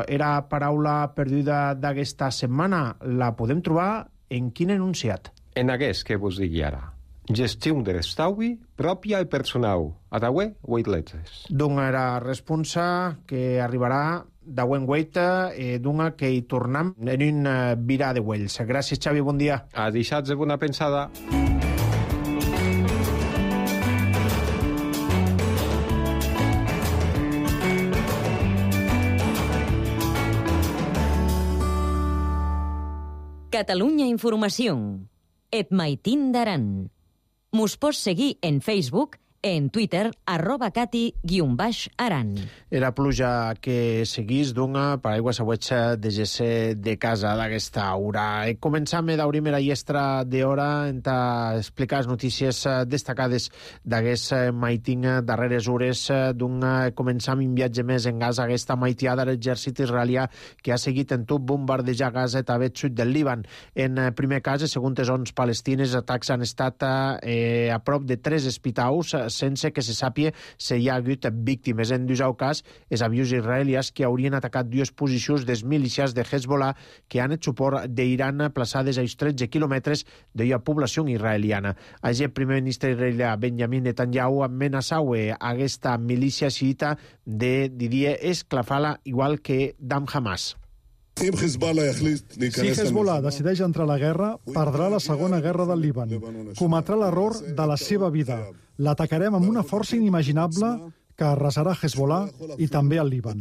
era paraula perduda d'aquesta setmana. La podem trobar en quin enunciat? En aquest que vos digui ara. Gestió de l'estalvi pròpia i personal. A tauè, 8 lletres. Era responsa que arribarà d'Auen Guaita, d'una que hi tornam en un virà de Güells. Gràcies, Xavi, bon dia. A deixats de bona pensada. Catalunya Informació. Et maitin d'Aran. Mos pots seguir en Facebook, en Twitter, @cati_aran. Era pluja que seguís d'una paraigua s'auetxa de gesse de casa d'aquesta hora. Començam d'obrir la llestra d'hora en explicar les notícies destacades d'aquest maiting darreres hores començam un viatge més en Gaza, aquesta maitiada de l'exèrcit israelià que ha seguit en tot bombardejar Gaza i també el sud del Líban. En primer cas, segons les ONG palestines, els atacs han estat a prop de 3 hospitals sense que se sàpia si hi ha hagut víctimes. En dusau cas, els avions israelians que haurien atacat 2 posicions dels milícies de Hezbollah que han et suport d'Iran plaçades a 13 quilòmetres de la població israeliana. Així, el primer ministre israelià Benjamin Netanyahu amenaçau aquesta milícia xiita de Didier Esclafala, igual que d'Am Hamas. Si Hezbollah decideix entrar a la guerra, perdrà la segona guerra del Líban. Cometrà l'error de la seva vida. L'atacarem amb una força inimaginable que arrasarà Hezbollah i també el Líban.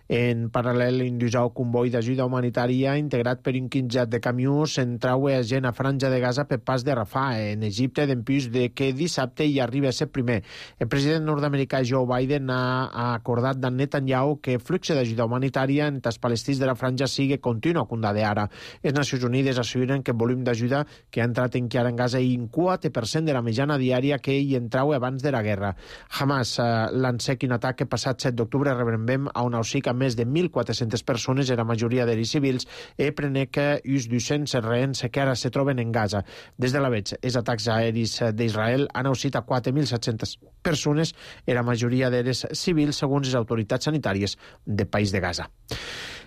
En paral·lel, un dijous comboi d'ajuda humanitària integrat per un quinzet de camions entraue a gent a Franja de Gaza per pas de Rafah, en Egipte, dempús de que dissabte hi arriba a ser primer. El president nord-americà Joe Biden ha acordat amb Netanyahu que el flux d'ajuda humanitària entre els palestins de la Franja sigui continu a de ara. Les Nacions Unides asseguren que el volum d'ajuda que ha entrat encara en Gaza i un 4% de la mitjana diària que hi entrau abans de la guerra. Hamas lancé un atac que passat 7 d'octubre rebrembem a un auxic a més de 1.400 persones, la majoria d'ells civils, i prenec uns 200 rehens que ara se troben en Gaza. Des de la veig, els atacs aeris d'Israel han auxit a 4.700 persones, la majoria d'ells civils, segons les autoritats sanitàries del país de Gaza.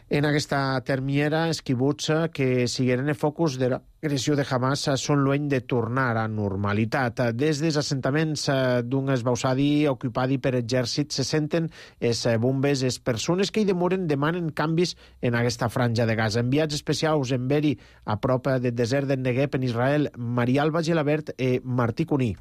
En aquesta termiera, els quibuts que sigueren el focus de l'agressió de Hamas són lluny de tornar a normalitat. Des dels assentaments d'un esbausadi ocupadi per exèrcit se senten els bombes, les persones que hi demoren demanen canvis en aquesta franja de Gaza. Enviats especials en Beri, a prop del desert del Negev en Israel, Maria Alba Gelabert i Martí Cuní.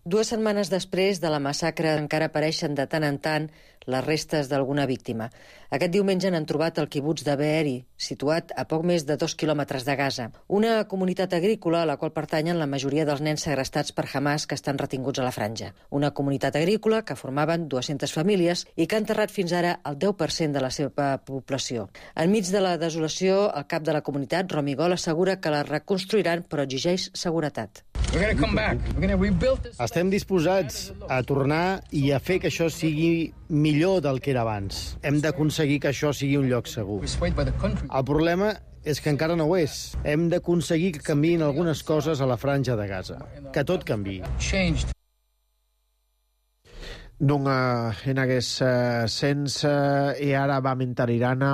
2 setmanes després de la massacre encara apareixen de tant en tant les restes d'alguna víctima. Aquest diumenge n'han trobat el quibuts de Be'eri, situat a poc més de 2 quilòmetres de Gaza. Una comunitat agrícola a la qual pertanyen la majoria dels nens segrestats per Hamas que estan retinguts a la franja. Una comunitat agrícola que formaven 200 famílies i que ha enterrat fins ara el 10% de la seva població. Enmig de la desolació, el cap de la comunitat, Romigol, assegura que la reconstruiran però exigeix seguretat. Estem disposats a tornar i a fer que això sigui millor del que era abans. Hem d'aconseguir que això sigui un lloc segur. El problema és que encara no ho és. Hem d'aconseguir que canviïn algunes coses a la franja de Gaza. Que tot canviï. Donc, en aquest sens, i ara va mentar Irana,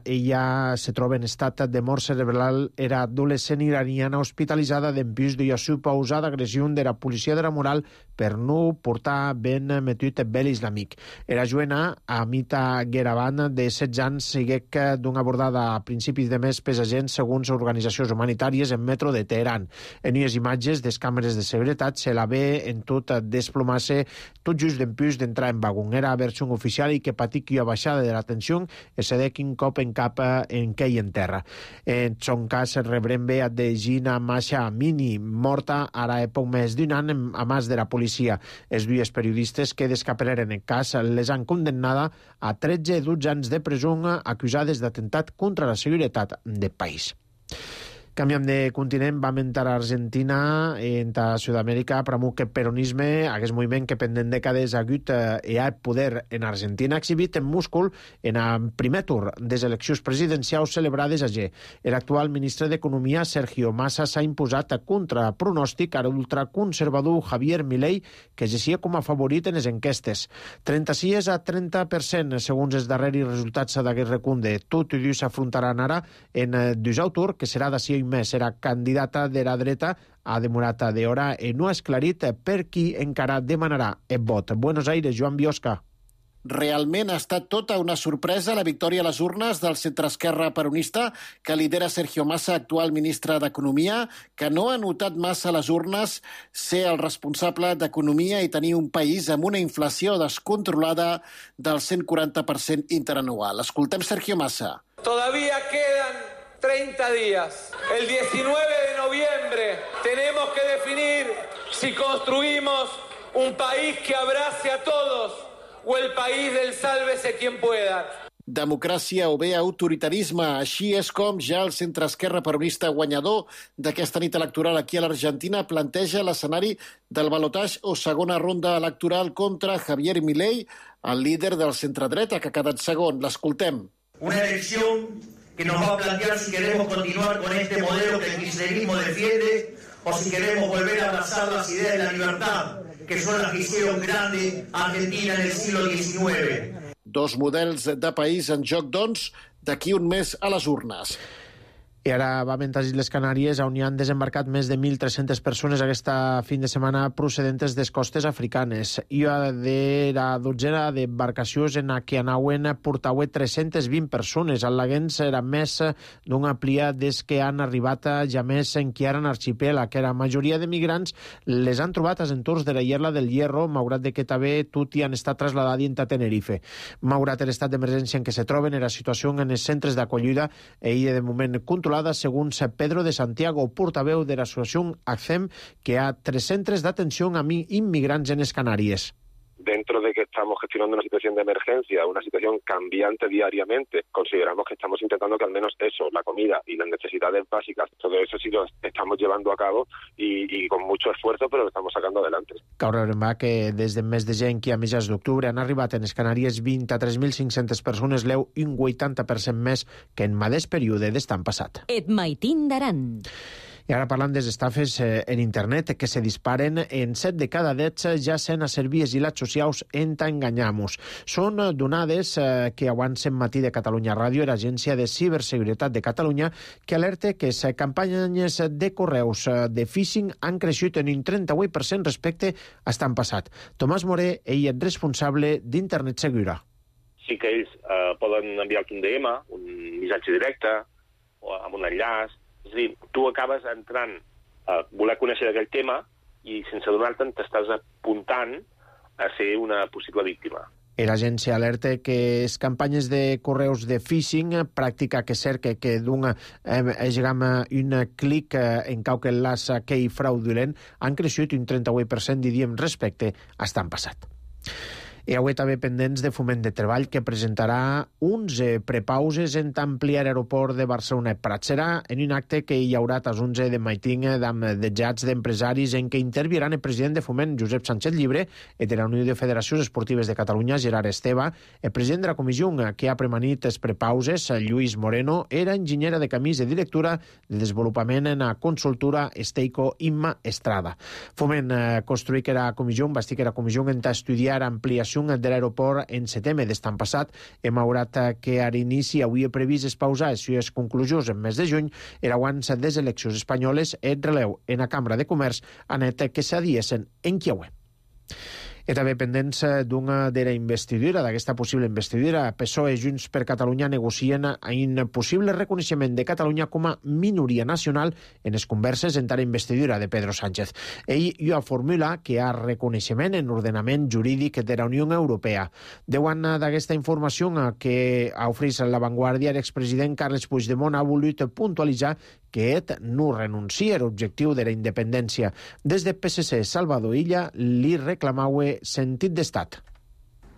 ella se troba en estat de mort cerebral, era adolescent iraniana hospitalitzada d'empús de suposada agressió de la policia de la moral per no portar ben metut bel islàmic. Era juena, Amita Geraban, de 16 anys, seguec d'una abordada a principis de mes pels agents segons organitzacions humanitàries en metro de Teheran. En unes imatges des càmeres de seguretat se la ve en tot desplomar-se tot just d'empús d'entrar en vagon. Era versió oficial i que patic una baixada de la tensió i se dec un cop en cap en què hi en terra. En son cas rebrem bé de Gina Masha Amini, morta ara poc més d'un any a mans de la policia. Els dues periodistes que descapeleren el cas les han condemnada a 13 i 12 anys de presó acusades d'atemptat contra la seguretat del país. Canviem de continent, vam entrar a Argentina, a Sud-amèrica, pramuc el peronisme, aquest moviment que pendent dècades ha hagut i ha poder en Argentina, exhibit en múscul en el primer tour de les eleccions presidencials celebrades a G. L'actual ministre d'Economia, Sergio Massa, s'ha imposat contra pronòstic a l'ultraconservador Javier Milei, que exercia com a favorit en les enquestes. 36 a 30%, segons els darreris resultats d'aquest recunde. Tot i s'afrontaran ara en Dusau Tour, que serà d'ací un mes. Era candidata de la dreta, ha demorat d'hora i no ha esclarit per qui encara demanarà el vot. Buenos Aires, Joan Biosca. Realment ha estat tota una sorpresa la victòria a les urnes del centreesquerra peronista que lidera Sergio Massa, actual ministre d'Economia, que no ha notat massa a les urnes ser el responsable d'Economia i tenir un país amb una inflació descontrolada del 140% interanual. Escoltem Sergio Massa. Todavía quedan 30 días. El 19 de noviembre tenemos que definir si construimos un país que abrace a todos o el país del sálvese quien pueda. Democràcia o bé autoritarisme. Així és com ja el centreesquerra peronista guanyador d'aquesta nit electoral aquí a l'Argentina planteja l'escenari del balotatge o segona ronda electoral contra Javier Milei, el líder del centredreta que ha quedat segon. L'escoltem. Una elecció que nos va a plantear si queremos continuar con este modelo que el kirchnerismo defiende o si queremos volver a abrazar las ideas de la libertad, que son las que hicieron grande a Argentina en el siglo XIX. Dos models de país en joc, doncs, d'aquí un mes a les urnes. I ara va a les Canàries, on hi han desembarcat més de 1.300 persones aquesta fin de setmana procedentes des costes africanes. I de la dotzena d'embarcacions en què anaven portaue 320 persones. Al Laguens era més d'una plia des que han arribat ja més en Quiaran arxipèlag, que la majoria de migrants les han trobat als entorns de la Ierla del Hierro, malgrat de que també tot hi han estat trasladats a Tenerife. Malgrat l'estat d'emergència en què se troben, era situació en els centres d'acollida i de moment controlada, segons Pedro de Santiago, portaveu de l'associació ACCEM, que ha 3 centres d'atenció a inmigrants en les Canàries. Dentro de que estamos gestionando una situación de emergencia, una situación cambiante diariamente, consideramos que estamos intentando que al menos eso, la comida y las necesidades básicas, todo eso sí lo estamos llevando a cabo y con mucho esfuerzo, pero lo estamos sacando adelante. Cal recordar que des del mes de gener a mitjans d'octubre han arribat en les Canàries 23.500 persones, un 80% més que en mateix període d'estan passat. Et maitin d'Aran. I ara parlant de les estafes en internet que se disparen en 7 de cada 10 ja sent a servies i les socials enganyamos. Són donades que avancen Matí de Catalunya Ràdio, l'Agència de Ciberseguretat de Catalunya, que alerta que les campanyes de correus de phishing han creixut en un 38% respecte a l'any passat. Tomàs Moré, ell és responsable d'Internet Segura. Sí que ells poden enviar-te un DM, un missatge directe, o amb un enllaç. És a dir, tu acabes entrant a voler conèixer d'aquell tema i sense donar-te'n t'estàs apuntant a ser una possible víctima. L'agència alerta que les campanyes de correus de phishing, pràctica que cerca que d'un clic en qualque enllaç que hi fraudulent, han crescut un 38%, diríem, respecte a l'any passat. I avui també pendents de Foment de Treball, que presentarà 11 prepauses en ampliar l'aeroport de Barcelona-Prat. Serà en un acte que hi haurà a les 11 de maiting amb dejats d'empresaris en què interviran el president de Foment, Josep Sánchez Llibre, i de la Unió de Federacions Esportives de Catalunya, Gerard Esteve. El president de la comissió que ha premanit les prepauses, Lluís Moreno, era enginyera de camins de directora de desenvolupament en la consultora Esteico Imma Estrada. Foment construir que la comissió, va dir que la comissió està estudiar ampliació de l'aeroport en setembre d'estan passat. Hem haurat que a l'inici havia previst espausar les seves conclusions en mes de juny, era abans des eleccions espanyoles, el releu en la Cambra de Comerç ha net que s'adiesen en Chiaue. I també pendents d'una de la investidura, d'aquesta possible investidura, PSOE i Junts per Catalunya negocien un possible reconeixement de Catalunya com a minoria nacional en les converses entre la investidura de Pedro Sánchez. Ell ja formula que hi ha reconeixement en l'ordenament jurídic de la Unió Europea. Davant d'aquesta informació que ha ofert La Vanguardia, l'expresident Carles Puigdemont ha volgut puntualitzar que ell no renuncia a l'objectiu de la independència. Des de PSC, Salvador Illa li reclamava sentit d'estat.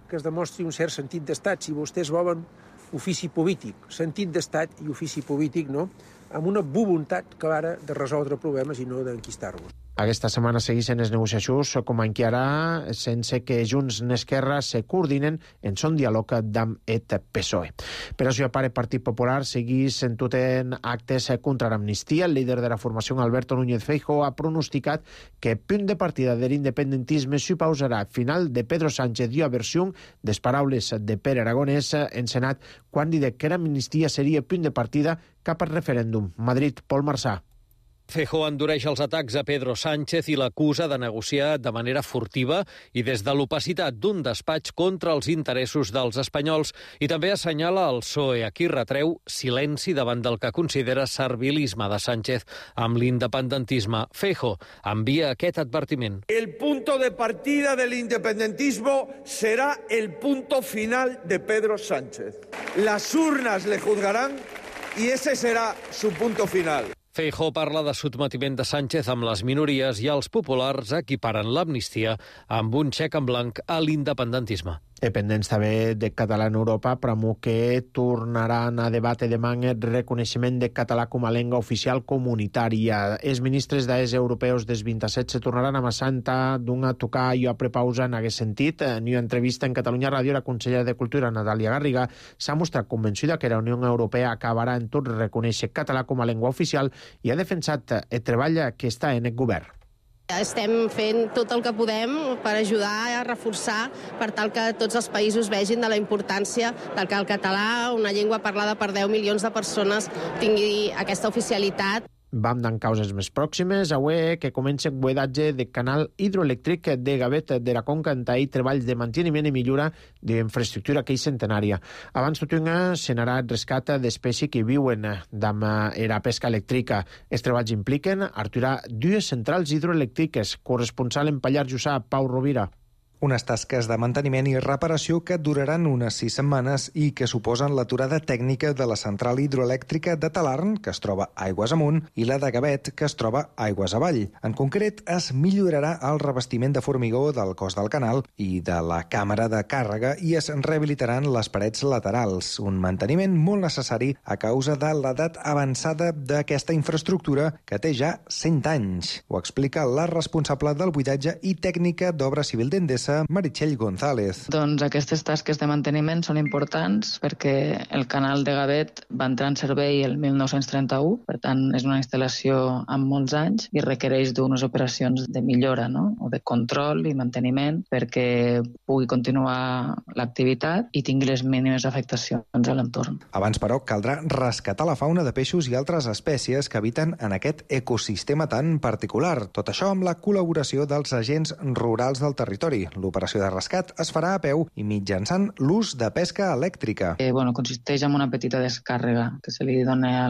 Que es demostri un cert sentit d'estat, si vostès volen ofici polític, sentit d'estat i ofici polític, no? Amb una voluntat clara de resoldre problemes i no d'enquistar-los. Aquesta setmana segueixen les negociacions com encara sense que Junts i Esquerra se coordinen en son diàleg amb el PSOE. Per això, a part, el Partit Popular segueix entutent actes contra l'amnistia. El líder de la formació, Alberto Núñez Feijóo, ha pronosticat que el punt de partida de l'independentisme suposarà al final de Pedro Sánchez i la versió de les paraules de Pere Aragonès en Senat quan dit que l'amnistia seria el punt de partida cap al referèndum. Madrid, Pol Marsà. Feijóo endureix els atacs a Pedro Sánchez i l'acusa de negociar de manera furtiva i des de l'opacitat d'un despatx contra els interessos dels espanyols i també assenyala el PSOE, a qui retreu silenci davant del que considera servilisme de Sánchez amb l'independentisme. Feijóo envia aquest advertiment. El punto de partida del independentismo será el punto final de Pedro Sánchez. Las urnas le juzgarán y ese será su punto final. Feijóo parla de sotmetiment de Sánchez amb les minories i els populars equiparen l'amnistia amb un xec en blanc a l'independentisme. Dependents també de català en Europa, però que tornaran a debatre demà el reconeixement de català com a llengua oficial comunitària. Els ministres d'AES europeus dels 27 se tornaran a Massanta d'una tocar i a prepausa en aquest sentit. En una entrevista en Catalunya Ràdio, la consellera de Cultura, Natàlia Garriga, s'ha mostrat convençuda que la Unió Europea acabarà en tot reconèixer català com a llengua oficial i ha defensat el treball que està en el govern. Estem fent tot el que podem per ajudar a reforçar per tal que tots els països vegin de la importància del que el català, una llengua parlada per 10 milions de persones, tingui aquesta oficialitat. Vam d'en causes més pròximes, avui que comença el buidatge del canal hidroelèctric de Gavet de la Conca en i treballs de manteniment i millora d'infraestructura que és centenària. Abans tot se n'anà el rescat d'espècies que viuen d'amb era pesca elèctrica. Els treballs impliquen aturar 2 centrals hidroelèctriques. Corresponsal en Pallars Jussà, Pau Rovira. Unes tasques de manteniment i reparació que duraran unes 6 setmanes i que suposen l'aturada tècnica de la central hidroelèctrica de Talarn, que es troba aigües amunt, i la de Gavet, que es troba aigües avall. En concret, es millorarà el revestiment de formigó del cos del canal i de la càmera de càrrega i es rehabilitaran les parets laterals, un manteniment molt necessari a causa de l'edat avançada d'aquesta infraestructura que té ja 100 anys. Ho explica la responsable del buidatge i tècnica d'obra civil d'Endesa, Meritxell González. Doncs aquestes tasques de manteniment són importants perquè el canal de Gavet va entrar en servei el 1931, per tant és una instal·lació amb molts anys i requereix d'unes operacions de millora, no? O de control i manteniment perquè pugui continuar l'activitat i tingui les mínimes afectacions a l'entorn. Abans, però, caldrà rescatar la fauna de peixos i altres espècies que habiten en aquest ecosistema tan particular. Tot això amb la col·laboració dels agents rurals del territori. L'operació de rescat es farà a peu i mitjançant l'ús de pesca elèctrica. Consisteix en una petita descàrrega que se li dona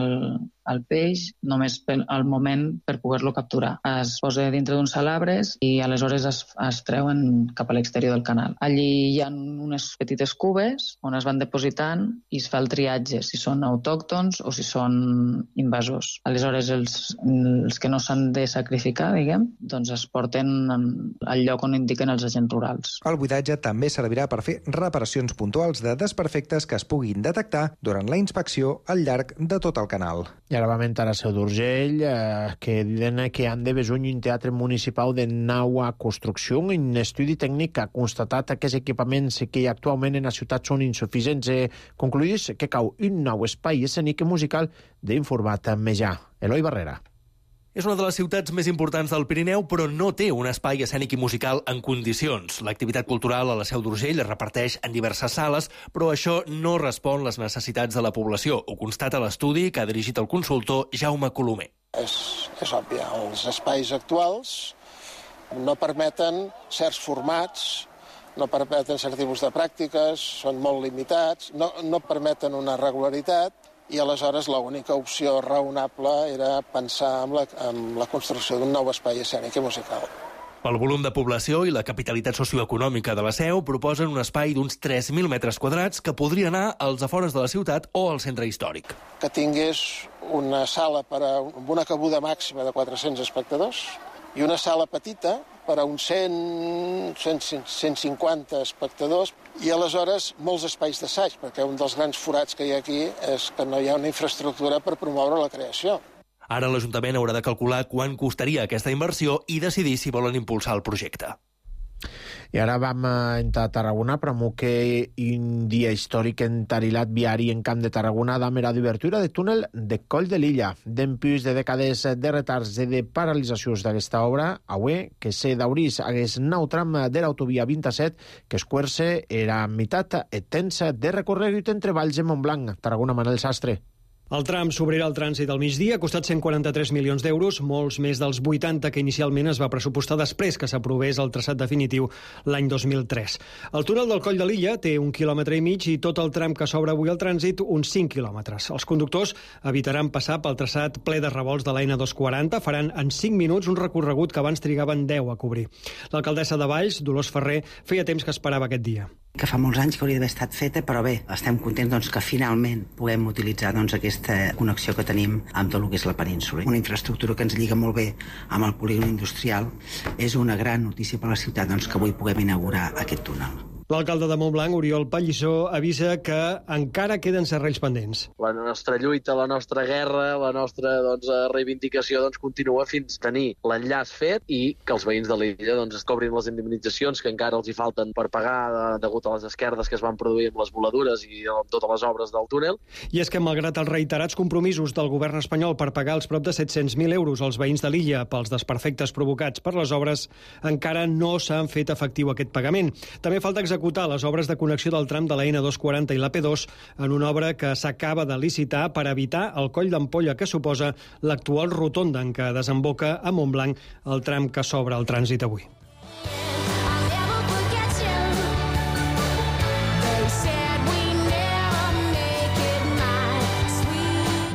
al peix només al moment per poder-lo capturar. Es posa dintre d'uns salabres i aleshores es treuen cap a l'exterior del canal. Allí hi ha unes petites cubes on es van depositant i es fa el triatge, si són autòctons o si són invasors. Aleshores, els que no s'han de sacrificar, doncs es porten al lloc on indiquen els agents rurals. El buidatge també servirà per fer reparacions puntuals de desperfectes que es puguin detectar durant la inspecció al llarg de tot el canal. I ara vam entrar a Seu d'Urgell, que diuen que han de besuny un teatre municipal de nova construcció. Un estudi tècnic ha constatat que els equipaments que hi ha actualment en la ciutat són insuficients. Concluïs que cau un nou espai escènic i musical d'informat Mejà. Eloi Barrera. És una de les ciutats més importants del Pirineu, però no té un espai escènic i musical en condicions. L'activitat cultural a la Seu d'Urgell es reparteix en diverses sales, però això no respon les necessitats de la població. Ho constata l'estudi que ha dirigit el consultor Jaume Colomer. És òbvi, els espais actuals no permeten certs formats, no permeten certs tipus de pràctiques, són molt limitats, no permeten una regularitat, i aleshores l'única opció raonable era pensar en la construcció d'un nou espai escènic i musical. Pel volum de població i la capitalitat socioeconòmica de la Seu proposen un espai d'uns 3.000 metres quadrats que podria anar als afores de la ciutat o al centre històric. Que tingués una sala amb una cabuda màxima de 400 espectadors i una sala petita per a uns 150 espectadors i aleshores molts espais d'assaig, perquè un dels grans forats que hi ha aquí és que no hi ha una infraestructura per promoure la creació. Ara l'Ajuntament haurà de calcular quant costaria aquesta inversió i decidir si volen impulsar el projecte. I ara vam entrar a Tarragona, promoque un dia històric entarilat viari en Camp de Tarragona damb era d'obertura de túnel de Coll de l'Illa. Dempús de dècades de retards i de paralitzacions d'aquesta obra, avui que se d'aurís hagués nou tram de l'autovia 27 que esquerce era meitat extensa de recorregut entre Valls i Montblanc. Tarragona, Manel Sastre. El tram s'obrirà al trànsit al migdia, ha costat 143 milions d'euros, molts més dels 80 que inicialment es va pressupostar després que s'aprovés el traçat definitiu l'any 2003. El túnel del Coll de l'Illa té 1,5 quilòmetres i tot el tram que s'obre avui al trànsit, uns 5 quilòmetres. Els conductors evitaran passar pel traçat ple de revolts de la N240, faran en 5 minuts un recorregut que abans trigaven 10 a cobrir. L'alcaldessa de Valls, Dolors Ferrer, feia temps que esperava aquest dia. Que fa molts anys que hauria d'haver estat feta, però bé, estem contents que finalment puguem utilitzar aquesta connexió que tenim amb tot el que és la península. Una infraestructura que ens lliga molt bé amb el polígon industrial. És una gran notícia per a la ciutat que avui puguem inaugurar aquest túnel. L'alcalde de Montblanc, Oriol Pallissó, avisa que encara queden serrells pendents. La nostra lluita, la nostra guerra, la nostra reivindicació continua fins a tenir l'enllaç fet i que els veïns de l'illa es cobrin les indemnitzacions que encara els hi falten per pagar degut a les esquerdes que es van produir amb les voladures i totes les obres del túnel. I és que, malgrat els reiterats compromisos del govern espanyol per pagar els prop de 700.000 euros als veïns de l'illa pels desperfectes provocats per les obres, encara no s'han fet efectiu aquest pagament. També falta executar les obres de connexió del tram de la N240 i la P2 en una obra que s'acaba de licitar per evitar el coll d'ampolla que suposa l'actual rotonda en què desemboca a Montblanc el tram que s'obre al trànsit avui.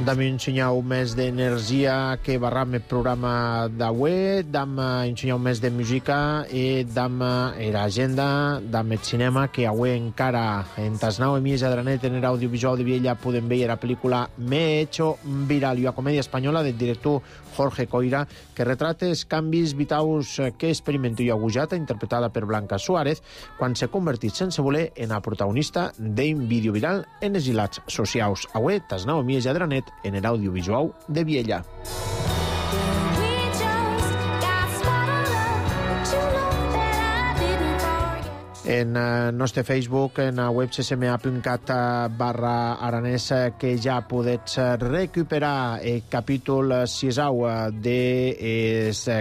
Dam ensenyau més d'energia que barram el programa d'avui, dam ensenyau més de música i dam l'agenda, dam el cinema, que avui encara en Tasnau Mies Adranet en l'audiovisual de Viella podem veure la pel·lícula Me he hecho viral, una comèdia espanyola del director Jorge Coira, que retrata els canvis vitaus que experimenta i agujata, interpretada per Blanca Suárez, quan s'ha convertit sense voler en la protagonista d'un vídeo viral en els hilats socials. Avui, Tasnau Mies Adranet en l'audiovisual de Viella. En nostre Facebook, en la web ccma.cat/aranès, que ja podets recuperar el capítol 6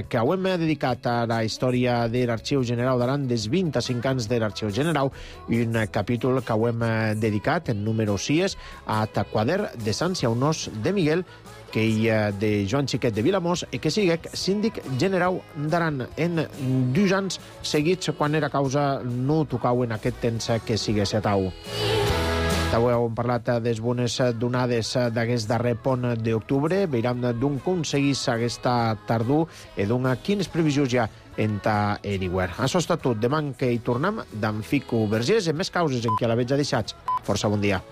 que hem dedicat a la història de l'Arxiu General d'Aran, dels 25 anys de l'Arxiu General, i un capítol que hem dedicat, en número 6, a Taquader de Sant Ciaunós de Miguel, que hi ha de Joan Xiquet de Vilamós i que siguec síndic general d'Aran en 2 anys seguits, quan era causa no tocau en aquest temps que sigués etau. Avui hem parlat de les bones donades d'aquest darrer pont d'octubre, veiram d'on aconseguís aquesta tardor i d'on quines previsions hi ha enta Anywhere. Això està tot. Demà que hi tornem d'en Fico Vergés en més causes en què la veig deixats. Força bon dia.